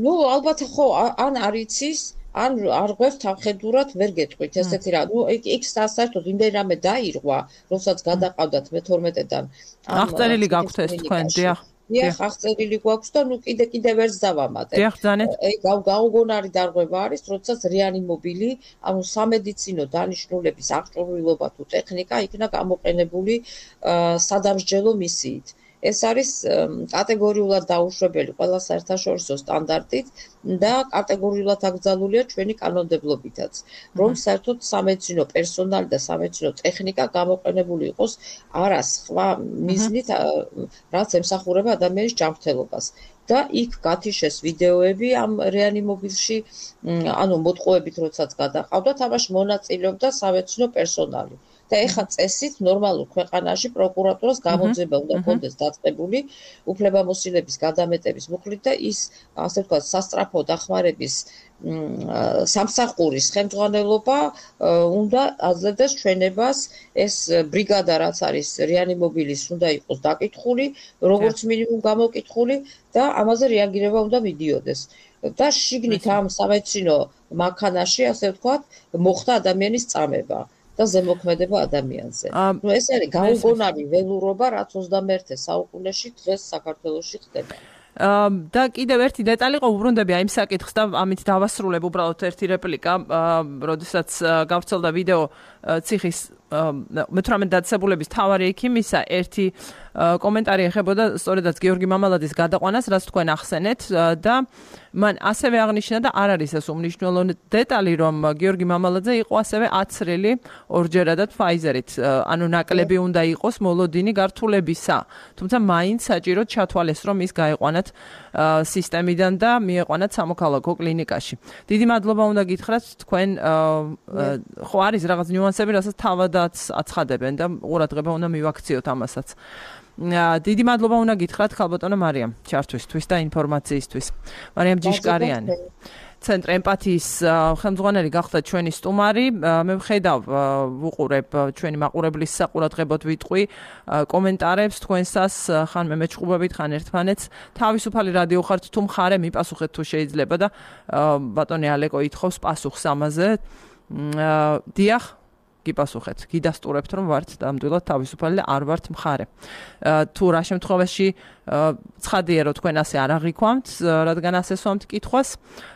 ნუ ალბათ ხო, ან არ იცის, ან არ ღვევს თავხედურად ვერ გეტყვით ესეთი რა. ნუ იქ საერთოდ იმდენ რამე დაირღვა, როდესაც გადაყავდათ მეთორმეტედან. აღწერილი გაქვთ ეს თქვენ, დიახ. დიახ, აღწერილი გვაქვს და ნუ კიდე კიდე ვერც დავამატებ. დიახ, ბრძანეთ. აი გაუგონარი დარღვევა არის, როდესაც რეანიმობილი, ანუ სამედიცინო დანიშნულების აღჭურვილობა თუ ტექნიკა იქნა გამოყენებული სადამსჯელო მისიით. ეს არის კატეგორიულად დაუშვებელი ყველა საერთაშორისო სტანდარტით და კატეგორიულად აკრძალულია ჩვენი კანონმდებლობითაც, რომ საერთოდ სამედიცინო პერსონალი და სამედიცინო ტექნიკა გამოყენებული იყოს არა სხვა მიზნით, რაც ემსახურება ადამიანის ჯანმრთელობას. და იქ გათიშეს ვიდეოები ამ რეანიმობილში, ანუ მოტყუებით როდესაც გადაყავდათ, ამაში მონაწილეობდა სამედიცინო პერსონალი. და ეხა წესით ნორმალურ ქვეყანაში პროკურატურას გამოძიება უნდა ჰქონდეს დაწყებული უფლებამოსილების გადამეტების მუხლით და ის, ასე ვთქვათ, სასწრაფო დახმარების სამსახურის ხელმძღვანელობა უნდა აძლევდეს ჩვენებას, ეს ბრიგადა რაც არის რეანიმობილის უნდა იყოს დაკითხული, როგორც მინიმუმ გამოკითხული და ამაზე რეაგირება უნდა მიდიოდეს. და შიგნით ამ სამედიცინო მანქანაში, ასე ვთქვათ, მოხდა ადამიანის წამება და ზემოქმედება ადამიანზე. ნუ ეს არის გაუგონარი ველურობა, რაც ოცდამეერთე საუკუნეში დღეს საქართველოში ხდება. და კიდევ ერთი დეტალი ყუბრუნდები აი იმ საკითხს და ამით დავასრულებ უბრალოდ ერთი რეპლიკა, როდესაც გავრცელდა ვიდეო ციხის მეთვრამეტე დაწესებულების მთავარი ექიმისა ერთი კომენტარი ეხებოდა სწორედაც გიორგი მამალაძის გადაყვანას, რაც თქვენ ახსენეთ და მან ასევე აღნიშნა და არ არის ეს უმნიშვნელო დეტალი, რომ გიორგი მამალაძე იყო ასევე აცრილი ორჯერადად Pfizer-ით, ანუ ნაკლები უნდა იყოს მოლოდინი გართულებისა. თუმცა მაინც საჭიროდ ჩათვალეს, რომ ის გაეყვანათ სისტემიდან და მიეყვანათ სამოქალაქო კლინიკაში. დიდი მადლობა უნდა გითხრათ თქვენ ხო არის რაღაც ნიუანსები, რასაც თავადაც აცხადებენ და ყურადღება უნდა მივაქციოთ ამასაც. დიდი მადლობა უნდა გითხრათ ხალბატონო მარიამ ჩართვისთვის და ინფორმაციისთვის. მარიამ ჯიშკარიანი ცენტრ ემპათიის ხელმძღვანელი გახდა ჩვენი სტუმარი. მე ვხედავ ვუყურებ ჩვენი მაყურებლის საყურადღებოდ ვიტყვი კომენტარებს თქვენსას, ხან მე მეჩხუბებით, ხან ერთმანეთს. თავისუფალი რადიო ხართ თუ მხარე მიპასუხეთ თუ შეიძლება და ბატონი ალეკო ითხოვს პასუხს ამაზე. დიახ გიპასუხეთ, გიდასტურებთ რომ ვართ ნამდვილად თავისუფალი და არ ვართ მხარე. თუ რა შემთხვევაში ცხადია რომ თქვენ ასე არ აღიქვამთ, რადგან ასე სვამთ კითხვას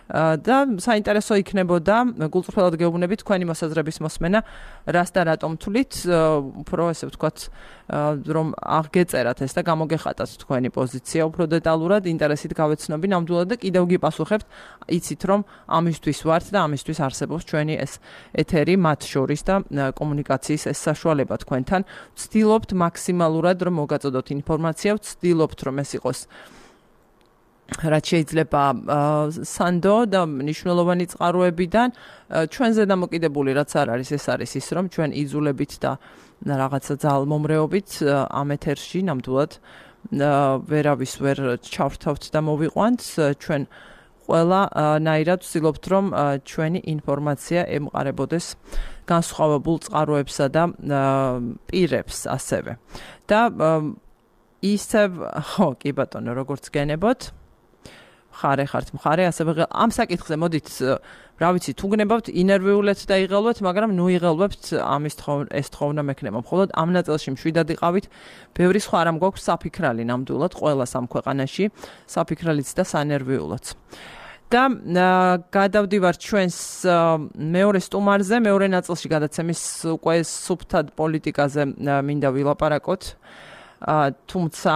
და საინტერესო იქნებოდა გულწრფელად გეუბნებით თქვენი მოსაზრების მოსმენა, რას და რატომ თვლით, უფრო ესე ვთქვათ, რომ აღგეწერათ ეს და გამოგეხატათ თქვენი პოზიცია უფრო დეტალურად, ინტერესით გავეცნობი ნამდვილად და კიდევ გიპასუხებთ, იცით რომ ამისთვის ვართ და ამისთვის არსებობს ჩვენი ეს ეთერი მათ შორის და კომუნიკაციის ეს საშუალება თქვენთან. ვცდილობთ მაქსიმალურად რომ მოგაწოდოთ ინფორმაცია, ვცდილობთ რომ ეს იყოს რაც შეიძლება სანდო და მნიშვნელოვანი წყაროებიდან ჩვენზე დამოკიდებული რაც არ არის ეს არის ის რომ ჩვენ იზულებით და რაღაცა ძალმომრეობით ამ ეთერში ნამდვილად ვერავის ვერ ჩავრთავთ და მოვიყვანთ ჩვენ ყველა ნაირად ვცდილობთ რომ ჩვენი ინფორმაცია ემყარებოდეს განსხვავებულ წყაროებსა და პირებს ასევე და ისევ ხო კი ბატონო როგორც გენებოთ ხარე ხართ მხარე ასევე ამ საკითხზე მოდით რა ვიცი თუ გნებავთ ინერვიულეთ და იღელვეთ მაგრამ ნუ იღელვებთ ამის ეს თხოვნა მექნება მხოლოდ ამ ნაწილში მშვიდად იყავით ბევრი სხვა რამ გვაქვს საფიქრალი ნამდვილად ყველას ამ ქვეყანაში საფიქრალიც და სანერვიულოც და გადავდივარ ჩვენს მეორე სტუმარზე მეორე ნაწილში გადაცემის უკვე სუფთად პოლიტიკაზე მინდა ვილაპარაკოთ თუმცა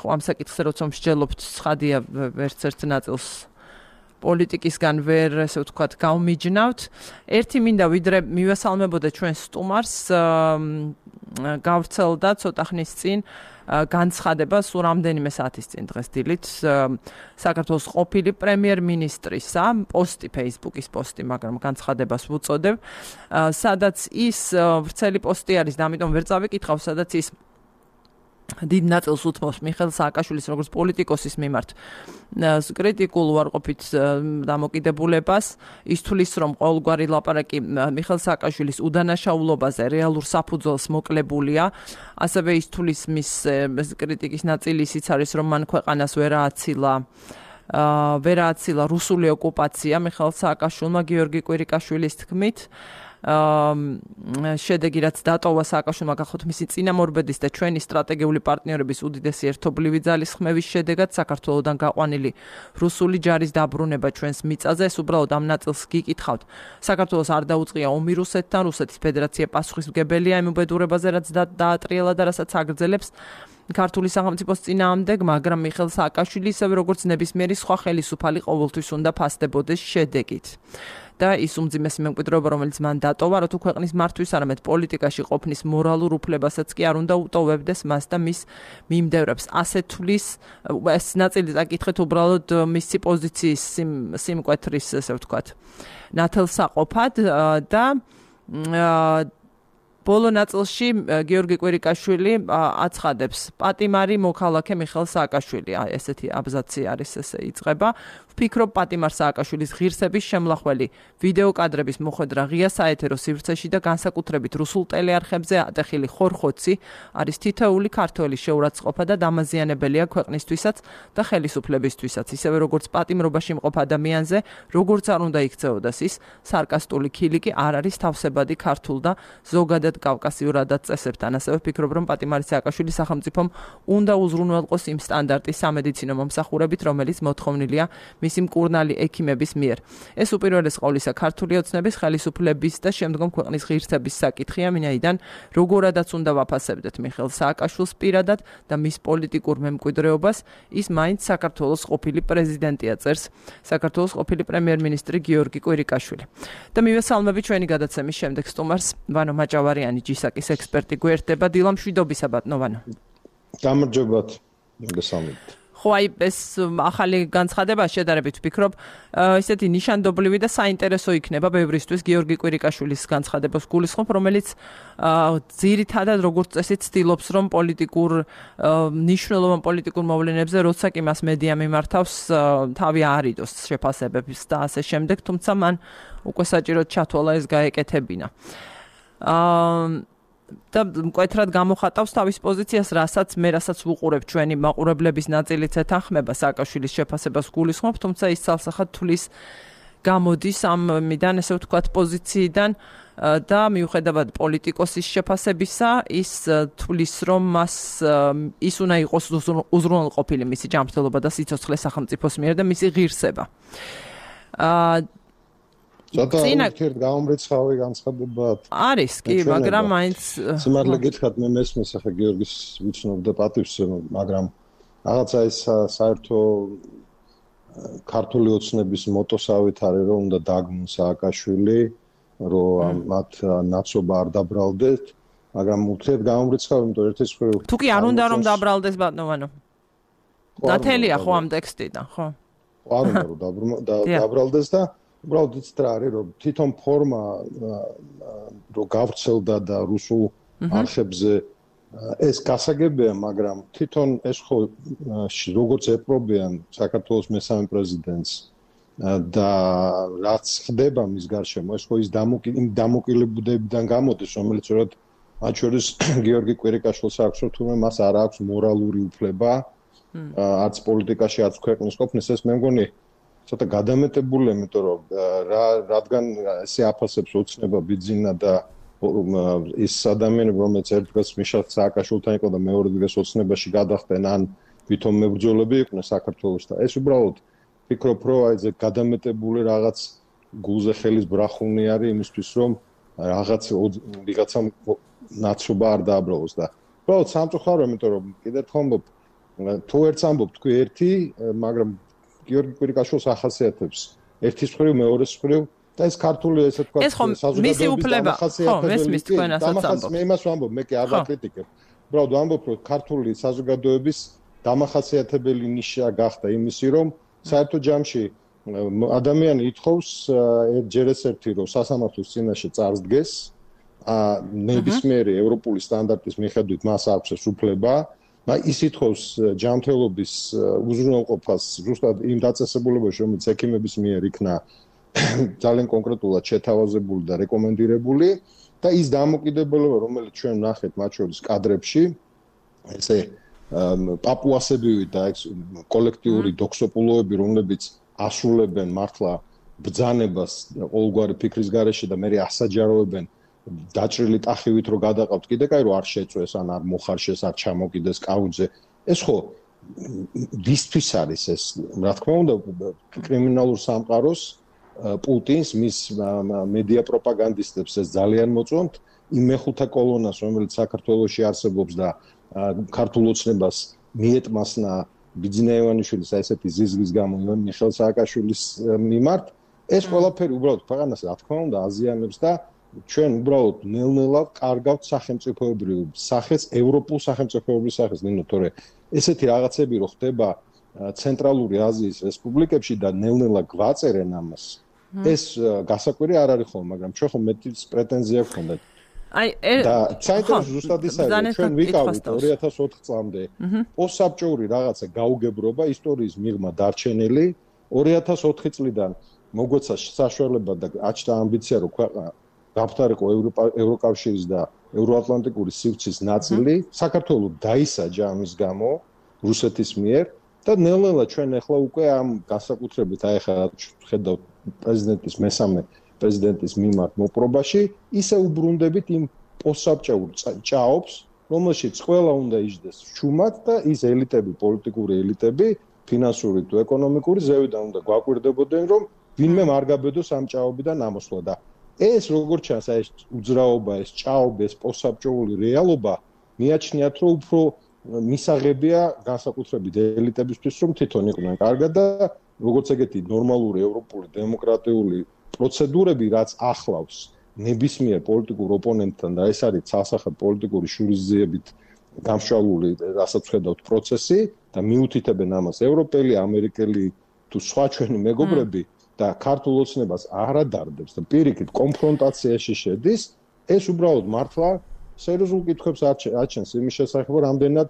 ამ საკითხზე როცა მსჯელობთ ცხადია ვერც ერთ ნაწილს პოლიტიკისგან ვერ ესე ვთქვათ გავმიჯნავთ ერთი მინდა ვიდრე მივესალმებოდა ჩვენს სტუმარს გავრცელდა ცოტა ხნის წინ განცხადება სულ რამდენიმე საათის წინ დღეს დილით საქართველოს ყოფილი პრემიერ-მინისტრისა პოსტი Facebook-ის პოსტი მაგრამ განცხადებას ვუწოდებ სადაც ის ვრცელი პოსტი არის და ამიტომ ვერ წავიკითხავ სადაც ის დიდ ნაწილს უთმობს მიხეილ სააკაშვილის როგორც პოლიტიკოსის მიმართ კრიტიკულ უარყოფით დამოკიდებულებას ის თulis რომ ყოველგვარი ლაპარაკი მიხეილ სააკაშვილის უდანაშაულობაზე რეალურ საფუძველს მოკლებულია ასევე ის თulis მის კრიტიკის ნაწილი ისიც არის რომ მან ქვეყანას ვერ ააცილა ვერააცილა რუსული ოკუპაცია მიხეილ სააკაშვილმა გიორგი კვირიკაშვილის თქმით შედეგი რაც დატოვა სააკაშვილმა გახოთ მისი წინამორბედის და ჩვენი სტრატეგიული პარტნიორების უდიდესი ერთობლივი ძალის ხმევის შედეგად საქართველოსდან გაყვანილი რუსული ჯარის დაბრუნება ჩვენს მიწაზე ეს უბრალოდ ამ ნაწილს გიკითხავთ საქართველოს არ დაუწყია ომი რუსეთთან რუსეთის ფედერაცია პასუხისმგებელია იმ უბედურებაზე რაც დაატრიალა და რასაც აგრძელებს ქართული სახელმწიფოს წინააღმდეგ მაგრამ მიხეილ სააკაშვილი ისევე როგორც ნებისმიერი სხვა ხელისუფალი ყოველთვის უნდა ფასდებოდეს შედეგით და ის უმძიმესი მემკვიდრეობა რომელიც მან დატოვა რა თუ ქვეყნის მართვის არამედ პოლიტიკაში ყოფნის მორალურ უფლებასაც კი არ უნდა უტოვებდეს მას და მის მიმდევრებს ასე თulis ეს ნაწილი აკითხეთ უბრალოდ მისი პოზიციის სიმკვეთრის ესე ვთქვათ ნათელსაყოფად და ბოლო ნაწილში გიორგი კვირიკაშვილი აცხადებს პატიმარი მოქალაქე მიხეილ სააკაშვილი ესეთი აბზაცი არის ესე იწყება ვფიქრობ პატიმარ სააკაშვილის ღირსების შემლახველი ვიდეო კადრების მოხვედრა ღია საეთერო სივრცეში და განსაკუთრებით რუსულ ტელეარხებზე ატეხილი ხორხოცი არის თითოეული ქართველის შეურაცხყოფა და დამაზიანებელია ქვეყნისთვისაც და ხელისუფლებისთვისაც ისევე როგორც პატიმრობაში მყოფ ადამიანზე როგორც არ უნდა იქცეოდეს ის სარკასტული ქილიკი არ არის თავსებადი ქართულ და ზოგადად კავკასიურადად წესებთან ასევე ვფიქრობ რომ პატიმარი სააკაშვილი სახელმწიფომ უნდა უზრუნველყოს იმ სტანდარტის სამედიცინო მომსახურებით რომელიც მოთხოვნილია მისი მკურნალი ექიმების მიერ. ეს უპირველეს ყოვლისა ქართული ოცნების ხელისუფლების და შემდგომ ქვეყნის ღირსების საკითხია, ვინაიდან როგორადაც უნდა ვაფასებდეთ მიხეილ სააკაშვილს პირადად და მის პოლიტიკურ მემკვიდრეობას, ის მაინც საქართველოს ყოფილი პრეზიდენტია, წერს საქართველოს ყოფილი პრემიერ-მინისტრი გიორგი კვირიკაშვილი. და მივესალმები ჩვენი გადაცემის შემდეგ სტუმარს ვანო მაჭავარიანი, ჯისაკის ექსპერტი გვერდება. დილა მშვიდობისა ბატონო ვანო. გამარჯობათ. მოგესალმებით. ხო, აი ეს ახალი განცხადება შედარებით ვფიქრობ, ისეთი ნიშანდობლივი და საინტერესო იქნება ბევრისთვის გიორგი კვირიკაშვილის განცხადებას გულისხმობ, რომელიც ძირითადად როგორც წესი ცდილობს, რომ პოლიტიკურ მნიშვნელოვან პოლიტიკურ მოვლენებზე, როცა კი მას მედია მიმართავს, თავი არიდოს შეფასებებს და ასე შემდეგ, თუმცა მან უკვე საჭიროდ ჩათვალა ეს გაეკეთებინა. აა და მკვეთრად გამოხატავს თავის პოზიციას, რასაც მე რასაც ვუყურებ ჩვენი მაყურებლების ნაწილიც ეთანხმება სააკაშვილის შეფასებას გულისხმობ, თუმცა ის ცალსახად თulis გამოდის ამიდან, ესე ვთქვათ, პოზიციიდან და მიუხედავად პოლიტიკოსის შეფასებისა, ის თulis რომ მას ის უნდა იყოს უზრუნველყოფილი მისი ჯანმრთელობა და სიცოცხლე სახელმწიფოს მიერ და მისი ღირსება. აა ცოტა ერთ გამომრიცხავი განცხადება არის კი, მაგრამ მაინც სიმართლე გითხრათ, მე მესმის ახლა გიორგის ვიცნობ და პატივს, მაგრამ რაღაცა ეს საერთო ქართული ოცნების მოტოსავით არის, რომ უნდა დაგმონ სააკაშვილი, რომ მათ ნაცობა არ დაბრალდეთ, მაგრამ უთრეთ გამომრიცხავი, იმიტომ ერთის მხრივ თუ კი არ უნდა რომ დაბრალდეს ბატონო ვანო. დათელია ხო ამ ტექსტიდან, ხო? არ უნდა რომ დაბრალდეს და უბრალოდ იცით რა არის, რომ თვითონ ფორმა რო გავრცელდა და რუსულ არხებზე ეს გასაგებია, მაგრამ თვითონ ეს ხო როგორც ეპრობიან საქართველოს მესამე პრეზიდენტს და რაც ხდება მის გარშემო, ეს ხო ის დამოკიდებულებიდან გამოდის, რომელიც სწორედ მათ შორის გიორგი კვირიკაშვილს აქვს, რომ თუმცა მას არ აქვს მორალური უფლება არც პოლიტიკაში, არც ქვეყნის ყოფნის, ეს მე მგონი ცოტა გადამეტებულია, იმიტომ რომ რა რადგან ესე აფასებს ოცნება ბიძინა და ის ადამიანები, რომელიც ერთ დღეს მიშა სააკაშვილთან იყო და მეორე დღეს ოცნებაში გადახდნენ, ან ვითომ მებრძოლები იყვნენ საქართველოს და ეს უბრალოდ ფიქრობ, რომ აი ეს გადამეტებული რაღაც გულზე ხელის ბრახუნი არის იმისთვის, რომ რაღაც ვიღაცამ ნაცობა არ დააბრალოს და უბრალოდ სამწუხარო, იმიტომ რომ კიდევ ერთხელ ამბობ, თუ ერთს ამბობ თქვი ერთი, მაგრამ გიორგი კვირიკაშვილს ახასიათებს ერთის მხრივ, მეორეს მხრივ და ეს ქართული ესე თქვა საზოგადოების დამახასიათებელი. მე იმას ვამბობ, მე კი არ ვაკრიტიკებ. უბრალოდ ვამბობ, რომ ქართული საზოგადოების დამახასიათებელი ნიშა გახდა იმისი, რომ საერთო ჯამში ადამიანი ითხოვს ჯერ ეს ერთი, რომ სასამართლოს წინაშე წარსდგეს, ნებისმიერი ევროპული სტანდარტის მიხედვით მას აქვს ეს უფლება. ის ითხოვს ჯანმრთელობის უზრუნველყოფას ზუსტად იმ დაწესებულებაში, რომელიც ექიმების მიერ იქნა ძალიან კონკრეტულად შეთავაზებული და რეკომენდირებული და ის დამოკიდებულება, რომელიც ჩვენ ვნახეთ მათ შორის კადრებში, ესე პაპუასები და კოლექტიური დოქსოპულოები, რომლებიც ასრულებენ მართლა ბრძანებას ყოველგვარი ფიქრის გარეშე და მე ასაჯაროებენ დაჭრილი ტახივით რო გადაყავთ კიდე კაი რო არ შეწვეს ან არ მოხარშეს არ ჩამოკიდეს კაუძე ეს ხო ვისთვის არის ეს რა თქმა უნდა კრიმინალურ სამყაროს პუტინს მის მედია პროპაგანდისტებს ეს ძალიან მოწონთ იმ მეხუთე კოლონას რომელიც საქართველოში არსებობს და ქართულ ოცნებას მიეტმასნა ბიძინა ივანიშვილის ესეთი ზიზღის გამო მიხეილ სააკაშვილის მიმართ ეს ყველაფერი უბრალოდ ქვეყანას რა თქმა უნდა აზიანებს და ჩვენ უბრალოდ ნელ-ნელა კარგავთ სახელმწიფოებრივ სახეს, ევროპულ სახელმწიფოებრივ სახეს, ნინო, თორე ესეთი რაღაცები რო ხდება ცენტრალური აზიის რესპუბლიკებში და ნელ-ნელა გვაწერენ ამას. ეს გასაკვირი არ არის ხოლმე, მაგრამ ჩვენ ხომ მეტის პრეტენზია გქონდათ. აი, და საინტერესო ზუსტად ის არის, ჩვენ ვიკავით ორი ათას ოთხ წლამდე პოსტსაბჭოური რაღაცა გაუგებრობა ისტორიის მიღმა დარჩენილი ორი ათას ოთხი წლიდან მოგვეცა საშუალება და აჩნდა ამბიცია რომ ქვეყანა გაფთარიყო ევროკავშირის და ევროატლანტიკური სივრცის ნაწილი, საქართველოს დაისაჯა ამის გამო რუსეთის მიერ და ნელ-ნელა ჩვენ ახლა უკვე ამ განსაკუთრებით აი ახლა ხედავთ პრეზიდენტის მესამე პრეზიდენტის მიმართ მოპრობაში, ისე უბრუნდებით იმ პოსტსაბჭოურ ჭაობს, რომელშიც ყველა უნდა იჯდეს ჩუმად და ის ელიტები, პოლიტიკური ელიტები ფინანსური თუ ეკონომიკური ზევიდან უნდა გვაკვირდებოდნენ, რომ ვინმე არ გაბედოს ამ ჭაობიდან ამოსვლა და ეს როგორც ჩანს, ეს უძრაობა, ეს ჭაობა, ეს პოსტსაბჭოური რეალობა მიაჩნიათ, რომ უფრო მისაღებია განსაკუთრებით ელიტებისთვის, რომ თვითონ იყვნენ კარგად და როგორც ეგეთი ნორმალური ევროპული დემოკრატიული პროცედურები, რაც ახლავს ნებისმიერ პოლიტიკურ ოპონენტთან და ეს არის ცალსახად პოლიტიკური შურისძიებით გამშვალული, რასაც ხედავთ პროცესი და მიუთითებენ ამას ევროპელი, ამერიკელი თუ სხვა ჩვენი მეგობრები და ქართულ ოცნებას არ ადარდებს და პირიქით კონფრონტაციაში შედის, ეს უბრალოდ მართლა სერიოზულ კითხვებს აჩენს იმის შესახებ, რამდენად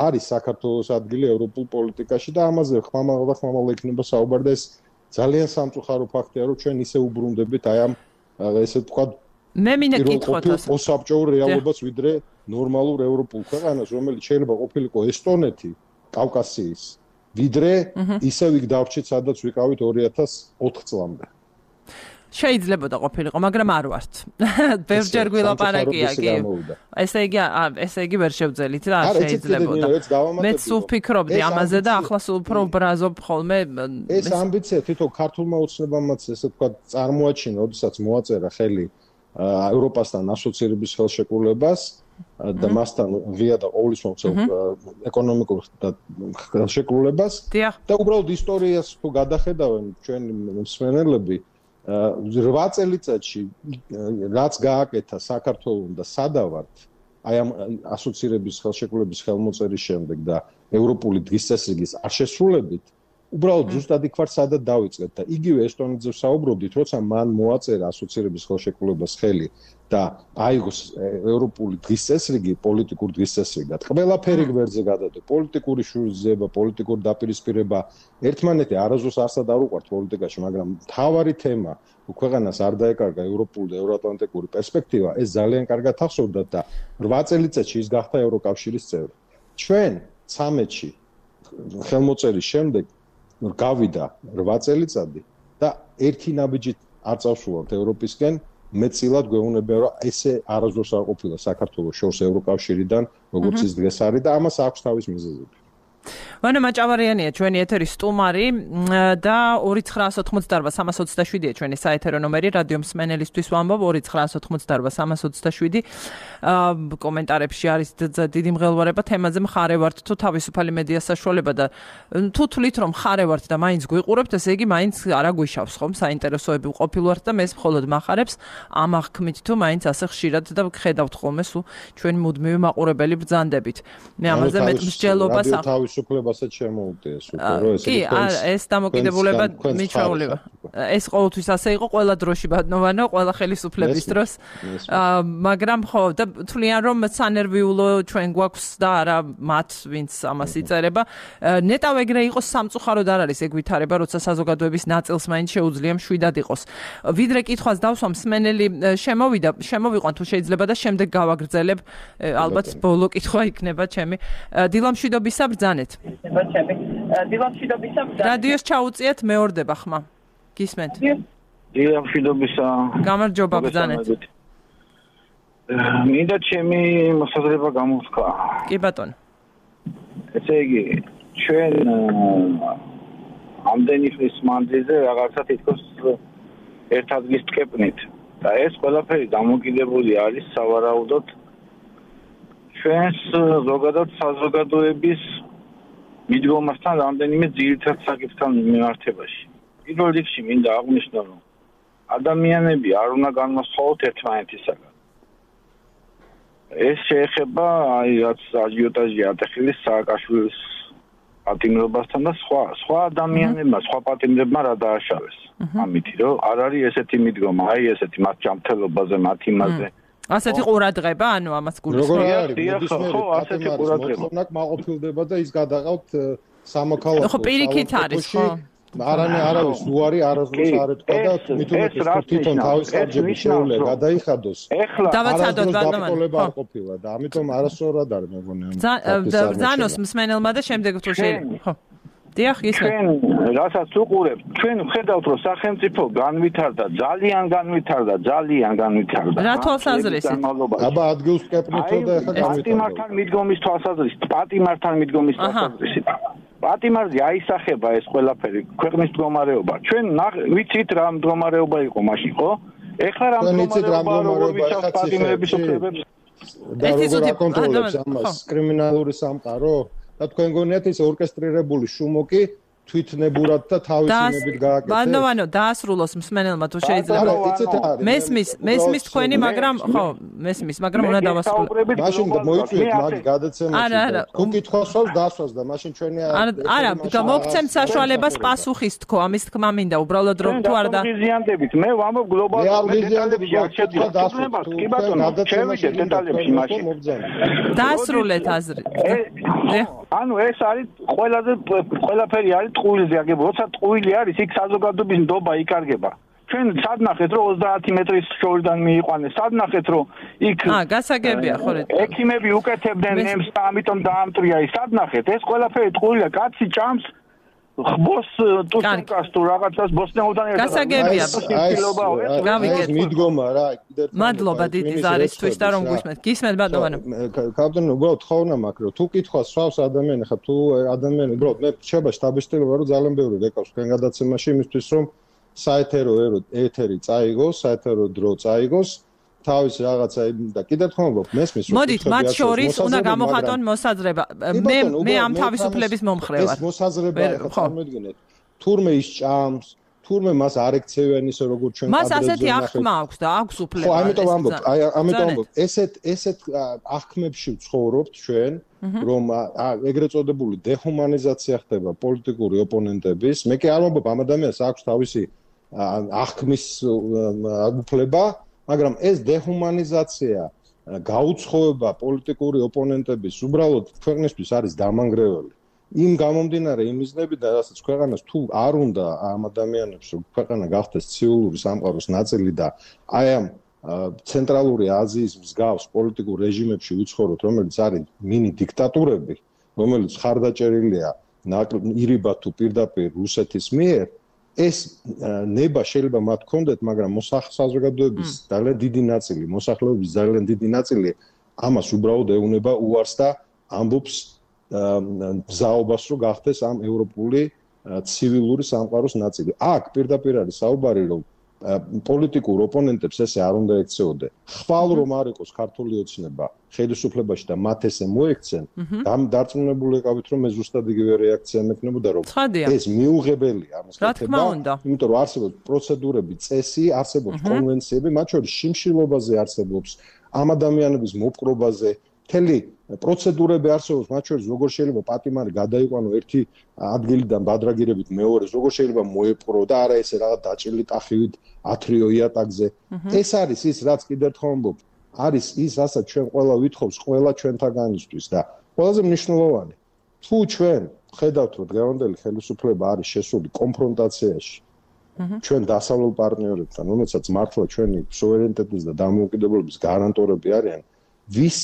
არის საქართველოს ადგილი ევროპულ პოლიტიკაში და ამაზე ხმამაღლა და ხმამაღლა იქნება საუბარი და ეს ძალიან სამწუხარო ფაქტია, რომ ჩვენ ისე უბრუნდებით აი ამ ესე თქვა მე მინდა კითხოთ ასე პოსტსაბჭოურ რეალობას ვიდრე ნორმალურ ევროპულ ქვეყანას, რომელიც შეიძლება ყოფილიყო ესტონეთი, კავკასიის, ვიდრე ისევ იქ დავრჩით, სადაც ვიყავით ორი ათას ოთხ წლამდე. შეიძლება და ყოფილიყო, მაგრამ არ ვართ. ბევრჯერ გვილაპარაკია კი. ესე იგი, ესე იგი ვერ შევძელით რა, შეიძლებოდა. მე სულ ვფიქრობდი ამაზე და ახლა სულ უფრო ბრაზობ ხოლმე. ეს ამბიცია თვითონ ქართულმა ოცნებამაც ესე თქვა წარმოაჩინა, როდესაც მოაწერა ხელი ევროპასთან ასოცირების ხელშეკრულებას და მასთან ღია და ყოვლისმომცემ ეკონომიკურ ხელშეკრულებას და უბრალოდ ისტორიას თუ გადახედავენ ჩვენი მსმენელები რვა წელიწადში რაც გააკეთა საქართველოს და სადავართ აი ამ ასოცირების ხელშეკრულების ხელმოწერის შემდეგ და ევროპული დღის წესრიგის არ შესრულებით უბრალოდ ზუსტად იქ ვარ სადაც დავიწყეთ და იგივე ესტონეთზე ვსაუბრობდით, როცა მან მოაწერა ასოცირების ხელშეკრულებას ხელი და აიღოს ევროპული დღის წესრიგი, პოლიტიკური დღის წესრიგად. ყველაფერი გვერდზე გადადო, პოლიტიკური შურისძიება, პოლიტიკური დაპირისპირება, ერთმანეთი არასდროს არსად არ უყვართ პოლიტიკაში, მაგრამ მთავარი თემა, ქვეყანას არ დაეკარგა ევროპული და ევროატლანტიკური პერსპექტივა, ეს ძალიან კარგად ახსოვდათ და რვა წელიწადში ის გახდა ევროკავშირის წევრი. ჩვენ ცამეტში ხელმოწერის შემდეგ გავიდა რვა წელიწადი და ერთი ნაბიჯით არ წავსულავთ ევროპისკენ, მეწილად გვეუბნება, რომ ესე არასდროს არ ყოფილა საქართველოს შორს ევროკავშირიდან, როგორც ის დღეს არის და ამას აქვს თავის მიზეზები. ვანა მაჭავარიანია ჩვენი ეთერის სტუმარი და ორი ცხრაასი ოთხმოცდაარბა სამას ოცდაშვიდია ჩვენი საეთერო ნომერი რადიო მსმენელისთვის ვამბობ ორი ცხრაასი ოთხმოცდაარბა სამას ოცდაშვიდი კომენტარებში არის დიდი მღელვარება თემაზე მხარე ვართ თუ თავისუფალი მედია საშუალება და თუ თვლით რომ მხარე ვართ და მაინც გვიყურებთ ესე იგი მაინც არა გვიშავს ხომ საინტერესოები ყოფილვართ და მე მხოლოდ მახარებს ამ აღქმით თუ მაინც ასე ხშირად და ხედავთ ხოლმე სულ ჩვენ მუდმივი მაყურებელი ბრძანდებით მე ამაზე მეტმსჯელობას სუფლებასაც შემოუდგეს უკვე რომ ეს კი ეს დამოკიდებულება მიჩვეულება ეს ყოველთვის ასე იყო ყველა დროში ბატონოვანო ყველა ხელისუფლების დროს მაგრამ ხო და თვლიან რომ სანერვიულო ჩვენ გვაქვს და არა მათ ვინც ამას იწერება ნეტავ ეგრე იყოს სამწუხაროდ არ არის ეგ ვითარება როცა საზოგადოების ნაწილს მაინც შეუძლია მშვიდად იყოს ვიდრე კითხვას დავსვამ მსმენელი შემოვიდა შემოვიყვან თუ შეიძლება და შემდეგ გავაგრძელებ ალბათ ბოლო კითხვა იქნება ჩემი დილამშვიდობისა ბრძანეთ რადიოს ჩაუწიეთ მეორდება ხმა გისმენთ დილამშვიდობისა გამარჯობა ბრძანეთ მინდა ჩემი მოსაზრება გამოვთქვა კი ბატონო ესე იგი ჩვენ ამდენი ხნის მანძილზე რაღაცა თითქოს ერთ ადგილს ვკეპნით და ეს ყველაფერი დამოკიდებული არის სავარაუდოდ ჩვენს ზოგადად საზოგადოების მიდგომასთან რამდენიმე ძირითად საკითხთან მიმართებაში. პირველ რიგში მინდა აღვნიშნო, რომ ადამიანები არ უნდა განმასხვაოთ ერთმანეთისაგან. ეს შეეხება აი რაც აჟიოტაჟი ატეხილის სააკაშვილის პატიმრობასთან და სხვა სხვა ადამიანებმა, სხვა პატიმრებმა რა დააშავეს. ამითი რომ არ არის ესეთი მიდგომა, აი ესეთი მათ ჯანმრთელობაზე, მათ იმაზე ასეთი ყურადღება, ანუ ამას გულისხმობ. როგორ არის? ხო, ასეთი ყურადღება. ნაკ მაყოფილდება და ის გადაყავთ სამოქალაქო. ხო, პირიქით არის, ხო. არანე არავის უარი არასდროს არ ეთქვა და მithumetes თვითონ თავის ხარჯებით შეუძლია გადაიხადოს. დავაცადოთ ბატონო. არ ყოფილა და ამიტომ არასწორად არის მეგონი. ბრძანოს მსმენელმა და შემდეგ თუ შეიძლება. ხო. დიახ, ისე. ჩვენ რასაც უყურებთ, ჩვენ ვხედავთ, რომ სახელმწიფო განვითარდა, ძალიან განვითარდა, ძალიან განვითარდა. რა თვალსაზრისით? აბა ადგილს ვკეპნითო და ახლა განვითარდა. პატიმართან მიდგომის თვალსაზრისით, პატიმართან მიდგომის თვალსაზრისით. პატიმარზე აისახება ეს ყველაფერი ქვეყნის მდგომარეობა. ჩვენ ვიცით რა მდგომარეობა იყო მაშინ, ხო? ეხლა რა მდგომარეობა როგორ ვიცავთ პატიმრების უფლებებს? და როგორ აკონტროლებს ამას კრიმინალური სამყარო? და თქვენ გონიათ ის ორკესტრირებული შუმოკი თვითნებურად და თავისინებით გააკეთეს. ბანდოვანო დაასრულოს მსმენელმა თუ შეიძლება. მესმის, მესმის თქვენი, მაგრამ ხო, მესმის, მაგრამ უნდა დავასრულო. მაშინ მოიწვიეთ მაგ გადაცემაში. თუ კითხვასვავს დასვას და მაშინ ჩვენი არა, მოგცემთ საშუალებას პასუხის თქო, ამის თქმა მინდა, უბრალოდ რომ თუ არა და გიზიანდებით. მე ვამბობ გლობალურ დეტალებში არ შეძლებს. პრობლემას კი ბატონო, შევიდეთ დეტალებში მაშინ. დაასრულეთ აზრი. ანუ ეს არის ყველაზე ყველაფერი არის ტყუილზე აგებული. როცა ტყუილი არის, იქ საზოგადოების ნდობა იკარგება. ჩვენ სად ნახეთ, რომ ოცდაათი მეტრის შორიდან მიიყვანეს? სად ნახეთ, რომ იქ აა, გასაგებია, ხო, ექიმები უკეთებდნენ ნემს და ამიტომ დაამტრია ის. სად ნახეთ? ეს ყველაფერი ტყუილია, კაცი ჭამს ხბოს ტუშკას თუ რაღაცას ბოსნეულთან ერთად. გასაგებია. გავიგეთ. მიდგომა რა, კიდევ მადლობა დიდი ზარისთვის და რომ გვისმენთ. გისმენთ ბატონო. კაპიტანი, უბრალოდ ხოვნა მაქვს, რომ თუ კითხავს სვავს ადამიანი, ხა თუ ადამიანი, უბრალოდ მე შეიძლება შტაბისტილობა რომ ძალიან ბევრი რეკავს თქვენ გადაცემაში იმისთვის რომ საეთერო ეთერი წაიგოს, საეთერო დრო წაიგოს. თავის რაღაცა და კიდევ თქმა უნდა მესმის რომ მოდით მათ შორის უნდა გამოხატონ მოსაზრება მე მე ამ თავისუფლების მომხრე ვარ ეს მოსაზრება ახლა წარმოიდგინეთ თურმე ის ჭამს თურმე მას არ ექცევიან ისე როგორ ჩვენ მას ასეთი ახმა აქვს და აქვს უფლება ხო ამიტომ ამბობ აი ამიტომ ამბობ ესეთ ესეთ ახმებში ვცხოვრობთ ჩვენ რომ ეგრეთ წოდებული დეჰუმანიზაცია ხდება პოლიტიკური ოპონენტების მე კი არ ვამბობ ამ ადამიანს აქვს თავისი ახმის უფლება მაგრამ ეს დეჰუმანიზაცია გაუცხოება პოლიტიკური ოპონენტების უბრალოდ ქვეყნისთვის არის დამანგრეველი. იმ გამომდინარე იმიზნებიდან, რასაც ქვეყანას თუ არ უნდა ამ ადამიანებს რომ ქვეყანა გახდეს ცივილური სამყაროს ნაწილი და აი ამ ცენტრალური აზიის მსგავს პოლიტიკურ რეჟიმებში ვიცხოვროთ, რომელიც არის მინი დიქტატურები, რომელიც ხარდაჭერილია ირიბად თუ პირდაპირ რუსეთის მიერ ეს ნება შეიძლება მათ კონდეთ, მაგრამ მოსახლეობის ძალიან დიდი ნაწილი, მოსახლეობის ძალიან დიდი ნაწილი ამას უბრალოდ ეუნება უარს და ამბობს მზაობას რომ გახდეს ამ ევროპული ცივილური სამყაროს ნაწილი. აქ პირდაპირ არის საუბარი რომ პოლიტიკურ ოპონენტებს ესე არ უნდა ექცეოდე. ხვალ რომ არ იყოს ქართული ოცნება ხელისუფლებაში და მათ ესე მოექცენ, ამ დარწმუნებული ვიყავით რომ მე ზუსტად იგივე რეაქცია მექნებოდა რომ ეს მიუღებელია ამას ხდება. იმიტომ რომ არსებობს პროცედურები, წესი, არსებობს კონვენციები, მათ შორის შიმშილობაზე არსებობს, ამ ადამიანების მოპყრობაზე მთელი პროცედურები არსებობს, მათ შორის როგორ შეიძლება პატიმარი გადაიყვანო ერთი ადგილიდან ბადრაგირებით მეორეს, როგორ შეიძლება მოეპყრო და არა ესე რაღაც დაჭრილი ტახივით ათრიო იატაკზე. ეს არის ის, რაც კიდევ ერთხელ ვამბობ, არის ის, რასაც ჩვენ ყველა ვითხოვს, ყველა ჩვენთაგანისთვის და ყველაზე მნიშვნელოვანი. თუ ჩვენ ხედავთ, რომ დღევანდელი ხელისუფლება არის შესული კონფრონტაციაში ჩვენ დასავლელ პარტნიორებთან, რომელსაც მართლა ჩვენი სუვერენიტეტის და დამოუკიდებლობის გარანტორები არიან, ვის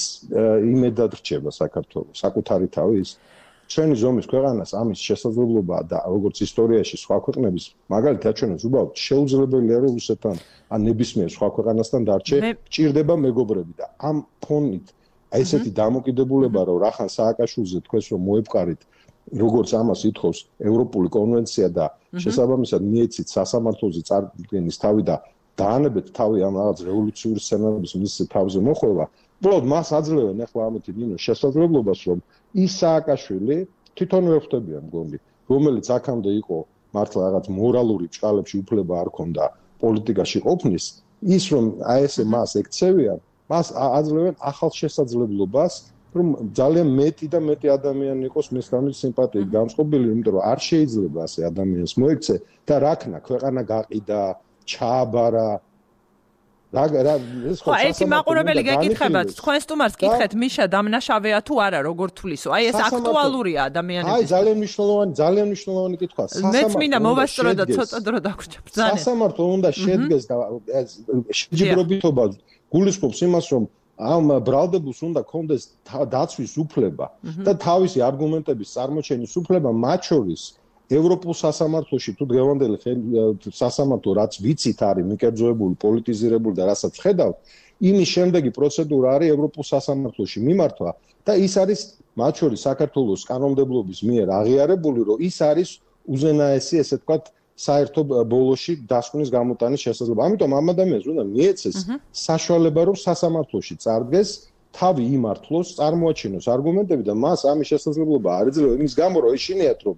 იმედად რჩება საქართველოს საკუთარი თავის ჩვენი ზომის ქვეყანას ამის შესაძლებლობა და როგორც ისტორიაში სხვა ქვეყნების მაგალითად ჩვენს უბრალოდ შეუძლებელია რომ რუსეთთან ან ნებისმიერ სხვა ქვეყანასთან დარჩე ჭირდება მეგობრები და ამ ფონით ესეთი დამოკიდებულება რომ რახან სააკაშვილზე თქვენს რომ მოეპყარით როგორც ამას ითხოვს ევროპული კონვენცია და შესაბამისად მიეცით სასამართლოზე წარდგენის თავი და დაანებეთ თავი ამ რაღაც რევოლუციური სცენარების მის თავზე მოხვევა უბრალოდ მას აძლევენ ახლა ამეთი ნინო შესაძლებლობას რომ ის სააკაშვილი თვითონვე ხვდებია მგონი რომელიც აქამდე იყო მართლა რაღაც მორალური ჭყალებში უფლება არ ქონდა პოლიტიკაში ყოფნის ის რომ აი ესე მას ექცევიან მას აძლევენ ახალ შესაძლებლობას რომ ძალიან მეტი და მეტი ადამიანი იყოს მესამე სიმპათიით განწყობილი იმიტომ რომ არ შეიძლება ასე ადამიანს მოექცე და რაკნა ქვეყანა გაყიდა ჩააბარა რა რა ეს ხო ეს მაყურებელი გეკითხებათ თქვენ სტუმარს კითხეთ მიშა დამნაშავეა თუ არა როგორ თვლისო აი ეს აქტუალურია ადამიანების აი ძალიან მნიშვნელოვანი ძალიან მნიშვნელოვანი კითხვა მეც მინდა მოვასწრო და ცოტა დრო დაგვრჩა ბრძანა სასამართლო უნდა შედგეს და შეჯიბრობითობა გულისხმობს იმას რომ ამ ბრალდებულს უნდა კონდეს დაცვის უფლება და თავისი არგუმენტების წარმოჩენის უფლება მათ შორის ევროპულ სასამართლოში თუ დღევანდელი სასამართლო რაც ვიცით არის მიკერძოებული, პოლიტიზირებული და რასაც ხედავთ, იმის შემდეგი პროცედურა არის ევროპულ სასამართლოში მიმართვა და ის არის მათ შორის საქართველოს კანონმდებლობის მიერ აღიარებული, რომ ის არის უზენაესი, ესე ვთქვათ, საერთო ბოლოში დასკვნის გამოტანის შესაძლებლობა. ამიტომ ამ ადამიანს უნდა მიეცეს საშუალება, რომ სასამართლოში წარდგეს, თავი იმართლოს, წარმოაჩინოს არგუმენტები და მას ამის შესაძლებლობა არ ეძლევა იმის გამო, რომ ეშინიათ, რომ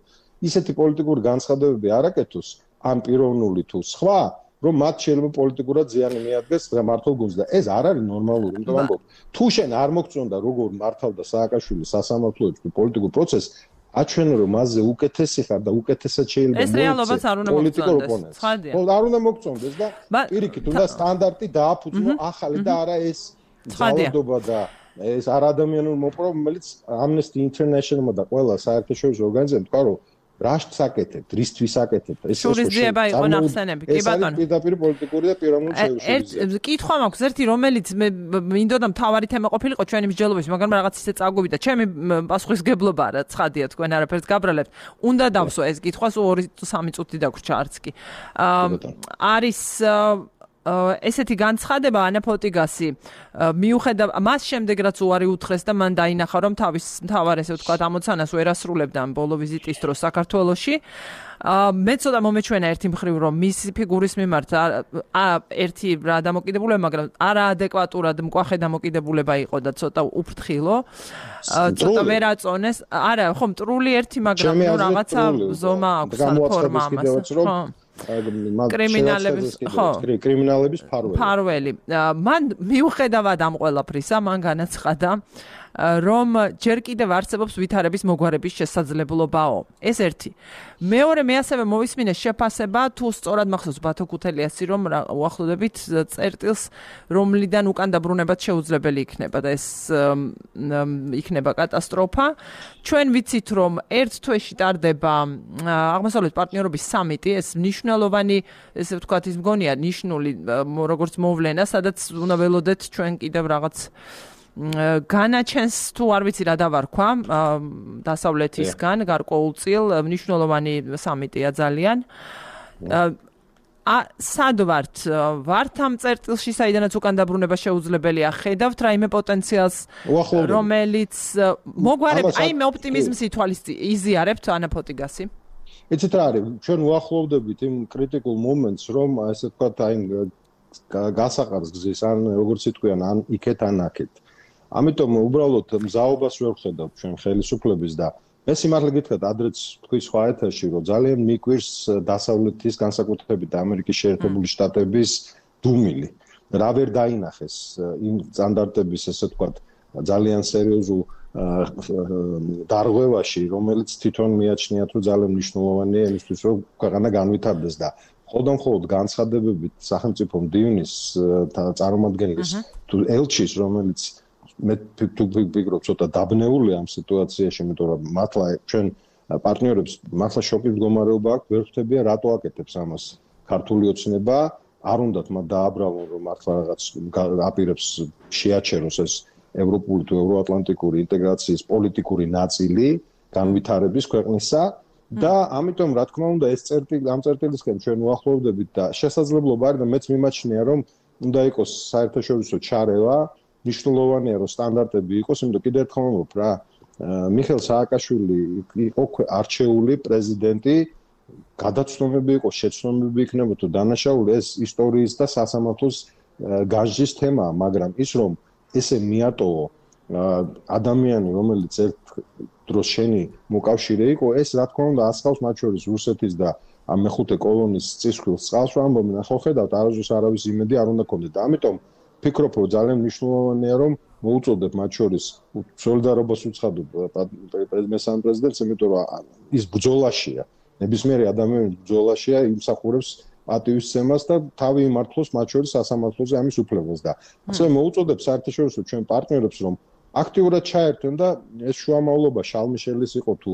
ისეთი პოლიტიკური განცხადებები არ აკეთოს, ან პიროვნული თუ სხვა, რომ მათ შეიძლება პოლიტიკურად ზიანი მიადგეს მართლ გუნდს და ეს არ არის ნორმალური, იმიტომ ამბობ, თუ შენ არ მოგწონდა როგორ მართავდა სააკაშვილი სასამართლოებს თუ პოლიტიკურ პროცესს, აჩვენო რომ მასზე უკეთესი ხარ და უკეთესად შეიძლება ეს რეალობაც არ უნდა მოგწონდეს. ხო, არ უნდა მოგწონდეს და პირიქით უნდა სტანდარტი დააფუძნო ახალი და არა ეს ძალადობა და ეს არ ადამიანურ მოპყრობა, რომელიც Amnesty International-მა და ყველა საერთაშორისო ორგანიზაციამ თქვა, რომ რაშტს აკეთებთ, რისთვის აკეთებთ, ეს შურისძიება იყო ნახსენები, კი ბატონო. ეს პირდაპირ პოლიტიკური და პიროვნული შურისძიება. ერთ კითხვა მაქვს, ერთი რომელიც მე მინდოდა მთავარი თემა ყოფილიყო ჩვენი მსჯელობის, მაგრამ რაღაც ისე წაგვივიდა და ჩემი პასუხისგებლობა რა ცხადია, თქვენ არაფერს გაბრალებთ. უნდა დავსვა ეს კითხვა, სულ ორი სამი წუთი დაგვრჩა არც კი. არის ესეთი განცხადება ანა ფოტიგასი მიუხედავ მას შემდეგ რაც უარი უთხრეს და მან დაინახა რომ თავის მთავარ ესე ვთქვათ ამოცანას ვერ ასრულებდა ბოლო ვიზიტის დროს საქართველოში მე ცოტა მომეჩვენა ერთი მხრივ რომ მისი ფიგურის მიმართ ერთი რა დამოკიდებულება მაგრამ არაადეკვატურად მკვახე დამოკიდებულება იყო და ცოტა უფრთხილო ცოტა ვერ აწონეს არა ხო მტრული ერთი მაგრამ ნუ რაღაცა ზომა აქვს ფორმა ამას ხო კრიმინალების ხო კრიმინალების ფარველი ფარველი მან მიუხედავად ამ ყველაფრისა მან განაცხადა რომ ჯერ კიდევ არსებობს ვითარების მოგვარების შესაძლებლობაო ეს ერთი მეორე მე ასევე მოვისმინე შეფასება თუ სწორად მახსოვს ბათო ქუთელიასი რომ უახლოვდებით წერტილს რომლიდან უკან დაბრუნებაც შეუძლებელი იქნება და ეს იქნება კატასტროფა ჩვენ ვიცით რომ ერთ თვეში ტარდება აღმოსავლეთ პარტნიორობის სამიტი ეს მნიშვნელოვანი ესე ვთქვათ ის მგონია ნიშნული როგორც მოვლენა სადაც უნდა ველოდეთ ჩვენ კიდევ რაღაც განაჩენს თუ არ ვიცი რა დავარქვა დასავლეთისგან გარკვეულწილ მნიშვნელოვანი სამიტია ძალიან ა სად ვართ ვართ ამ წერტილში საიდანაც უკან დაბრუნება შეუძლებელია ხედავთ რაიმე პოტენციალს რომელიც მოგვარებს აი მე ოპტიმიზმს ითვალისწინებთ იზიარებთ ანა ფოტიგასი იცით რა არის ჩვენ უახლოვდებით იმ კრიტიკულ მომენტს რომ ესე ვთქვათ აი გასაყარს გზის ან როგორც იტყვიან ან იქეთ ან აქეთ ამიტომ უბრალოდ მზაობას ვერ ვხედავ ჩვენ ხელისუფლების და მე სიმართლე გითხრათ ადრეც თქვი სხვა ეთერში რომ ძალიან მიკვირს დასავლეთის განსაკუთრებით ამერიკის შეერთებული შტატების დუმილი რა ვერ დაინახეს იმ სტანდარტების ესე ვთქვათ ძალიან სერიოზულ დარღვევაში რომელიც თვითონ მიაჩნიათ რომ ძალიან მნიშვნელოვანია იმისთვის რომ ქვეყანა განვითარდეს და ხოლმე მხოლოდ განცხადებებით სახელმწიფო მდივნის წარმომადგენლის თუ ელჩის რომელიც მე თუ ვფიქრობ ცოტა დაბნეულია ამ სიტუაციაში, იმიტომ რომ მართლა ჩვენ პარტნიორებს მართლა შოკის მდგომარეობა აქვს, ვერ ხვდებია რატო აკეთებს ამას ქართული ოცნება, არ უნდათ მათ დააბრალონ რომ მართლა რაღაც აპირებს შეაჩეროს ეს ევროპული თუ ევროატლანტიკური ინტეგრაციის პოლიტიკური ნაწილი განვითარების ქვეყნისა და ამიტომ რა თქმა უნდა ეს წერტილი ამ წერტილისკენ ჩვენ უახლოვდებით და შესაძლებლობა არის და მეც მიმაჩნია რომ უნდა იყოს საერთაშორისო ჩარევა მნიშვნელოვანია რომ სტანდარტები იყოს, იმიტომ კიდევ ერთხელ ვამბობ რა, მიხეილ სააკაშვილი იყო არჩეული პრეზიდენტი, გადაცნობები იყო, შეცნობები იქნება თუ დანაშაული ეს ისტორიის და სასამართლოს განსჯის თემაა, მაგრამ ის რომ ესე მიატოვო ადამიანი, რომელიც ერთ დროს შენი მოკავშირე იყო, ეს რა თქმა უნდა ასხავს მათ შორის რუსეთის და ამ მეხუთე კოლონის წისქვილს წყალს ვამბობენ, ახლა ხედავთ არასდროს არავის იმედი არ უნდა გქონდეთ და ამიტომ ფიქრობ რომ ძალიან მნიშვნელოვანია რომ მოუწოდებ მათ შორის სოლიდარობას უცხადო მესამე პრეზიდენტს იმიტომ რომ ის ბრძოლაშია ნებისმიერი ადამიანი ბრძოლაშია იმსახურებს პატივისცემას და თავი იმართლოს მათ შორის სასამართლოზე ამის უფლებას და ასე მოუწოდებ საერთაშორისო ჩვენ პარტნიორებს რომ აქტიურად ჩაერთონ და ეს შუამავლობა შალმიშელის იყო თუ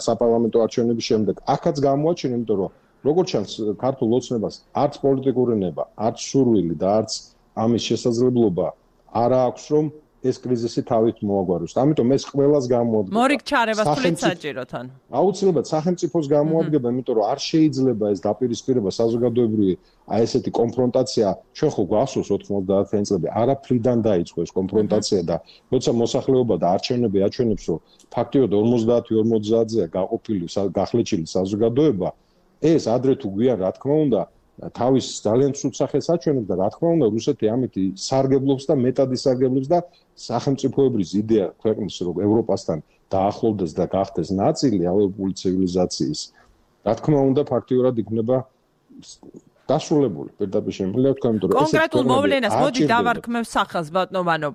საპარლამენტო არჩევნების შემდეგ აქაც გამოაჩინა იმიტომ რომ როგორც ჩანს ქართულ ოცნებას არც პოლიტიკური ნება, არც სურვილი და არც ამის შესაძლებლობა არ აქვს რომ ეს კრიზისი თავით მოაგვაროს. ამიტომ ეს ყველას გამოადგება. მორიგ ჩარებას თulit საჭიროთ ან. აუცილებლად სახელმწიფოს გამოადგება, იმიტომ რომ არ შეიძლება ეს დაპირისპირება საზოგადოებრივი აი ესეთი კონფრონტაცია, ჩვენ ხო გვახსოვს ოთხმოცდაათი წლები, არაფრიდან დაიწყო ეს კონფრონტაცია და როცა მოსახლეობა და არჩევნები აჩვენებს, რომ ფაქტიურად ორმოცდაათი ორმოცდაათზეა გაყოფილი გახლეჩილი საზოგადოება, ეს ადრე თუ გვიან რა თქმა უნდა თავის ძალიან ცუდ სახელს აჩვენებს და რა თქმა უნდა რუსეთი ამით სარგებლობს და მეტად ისარგებლობს და სახელმწიფოებრივი იდეა ქვეყნის რომ ევროპასთან დაახლოვდეს და გახდეს ნაწილი ევროპული ცივილიზაციის რა თქმა უნდა ფაქტიურად იქნება დასრულებული პირდაპირ შემიძლია თქვა იმიტომ რომ კონკრეტულ მოვლენას მოდი დავარქმევ სახელს ბატონო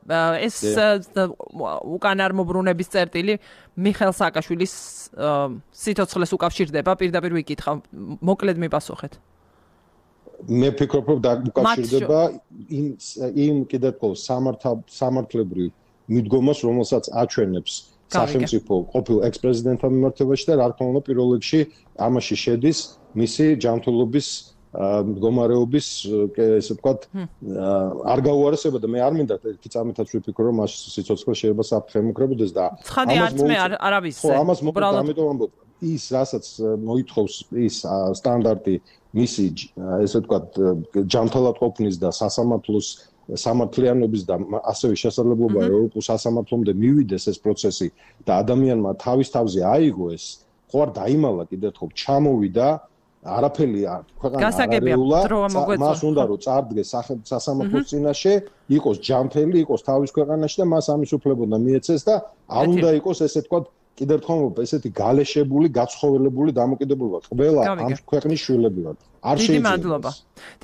ეს უკან არ მობრუნების წერტილი მიხეილ სააკაშვილის სიცოცხლეს უკავშირდება პირდაპირ ვიკითხავ მოკლედ მიპასუხეთ მე ვფიქრობ რომ დაკავშირდება იმ იმ კიდევ ყოველ სამართლებრივ მიდგომას რომელსაც აჩვენებს სახელმწიფო ყოფილ ექს-პრეზიდენტთან მიმართებაში და რა თქმა უნდა პირველ რიგში ამაში შედის მისი ჯანმრთელობის მდგომარეობის ესე ვთქვათ არ გაუარესება და მე არ მინდა ერთი წამითაც ვიფიქრო რომ მას სიცოცხლე შეიძლება საფრთხემუქრებოდეს და ცხადი არც მე არავის ხო ამას მოკლედ ამიტომ ამბობ ის რასაც მოითხოვს ის სტანდარტი მისი ესე ვთქვათ ჯანმრთელად ყოფნის და სასამართლოს სამართლიანობის და ასევე შესაძლებლობა ევროპულ სასამართლომდე მივიდეს ეს პროცესი და ადამიანმა თავის თავზე აიღო ეს ხო არ დაიმალა კიდევ ერთხელ ჩამოვიდა არაფერი ქვეყანა არარეულა მას უნდა რომ წარდგეს სასამართლოს წინაშე იყოს ჯანმრთელი იყოს თავის ქვეყანაში და მას ამის უფლება უნდა მიეცეს და არ უნდა იყოს ესე ვთქვათ კიდევ ერთხელ ესეთი გალეშებული, გაცხოველებული დამოკიდებულება ყველა ამ ქვეყნის შვილები ვართ. არ შეიძლება. დიდი მადლობა.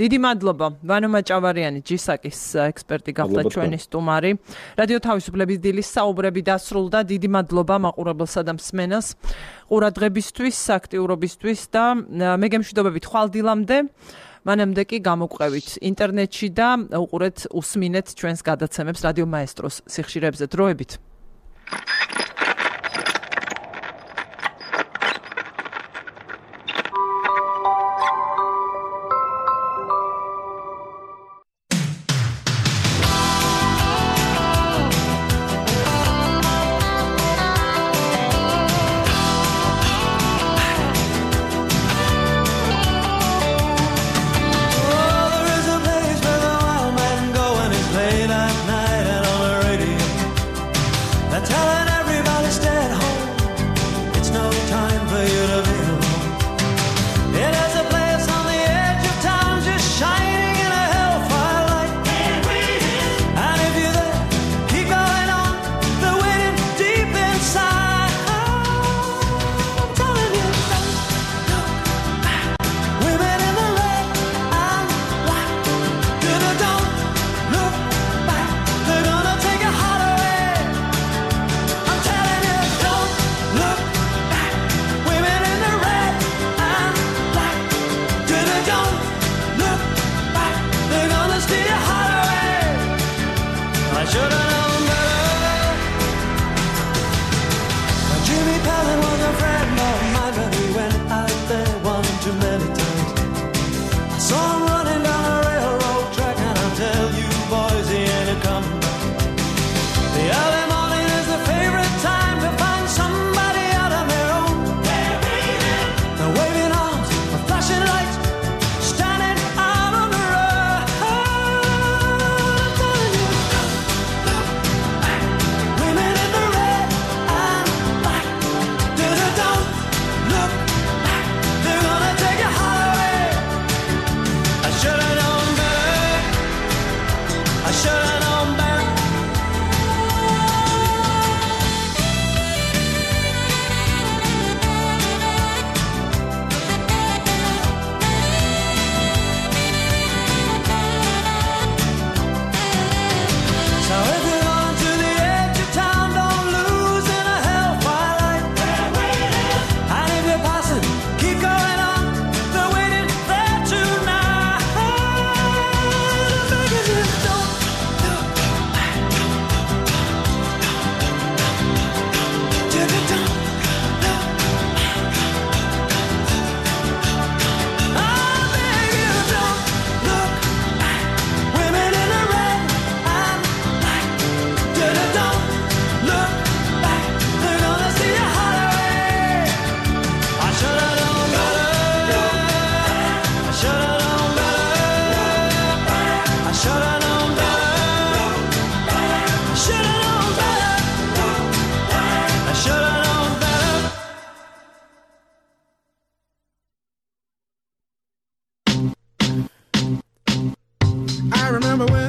დიდი მადლობა. ვანო მაჭავარიანი ჯისაკის ექსპერტი გახდა ჩვენი სტუმარი. რადიო თავისუფლების დილის საუბრები დასრულდა. დიდი მადლობა მაყურებელსა და მსმენელს ყურადღებისთვის, აქტიურობისთვის და მე გემშვიდობებით ხვალ დილამდე. მანამდე კი გამოგვყევით ინტერნეტში და უყურეთ უსმინეთ ჩვენს გადაცემებს რადიო მაესტროს სიხშირეებზე. დროებით. Telling everyone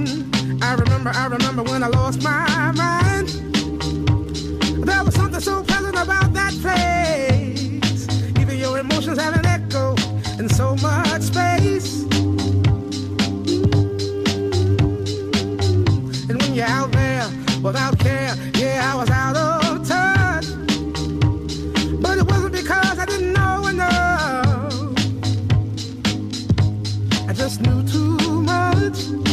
morning, I remember, I remember when I lost my mind. There was something so pleasant about that place. Even your emotions have an echo in so much space. And when you're out there without care, yeah, I was out of touch. But it wasn't because I didn't know enough. I just knew too much.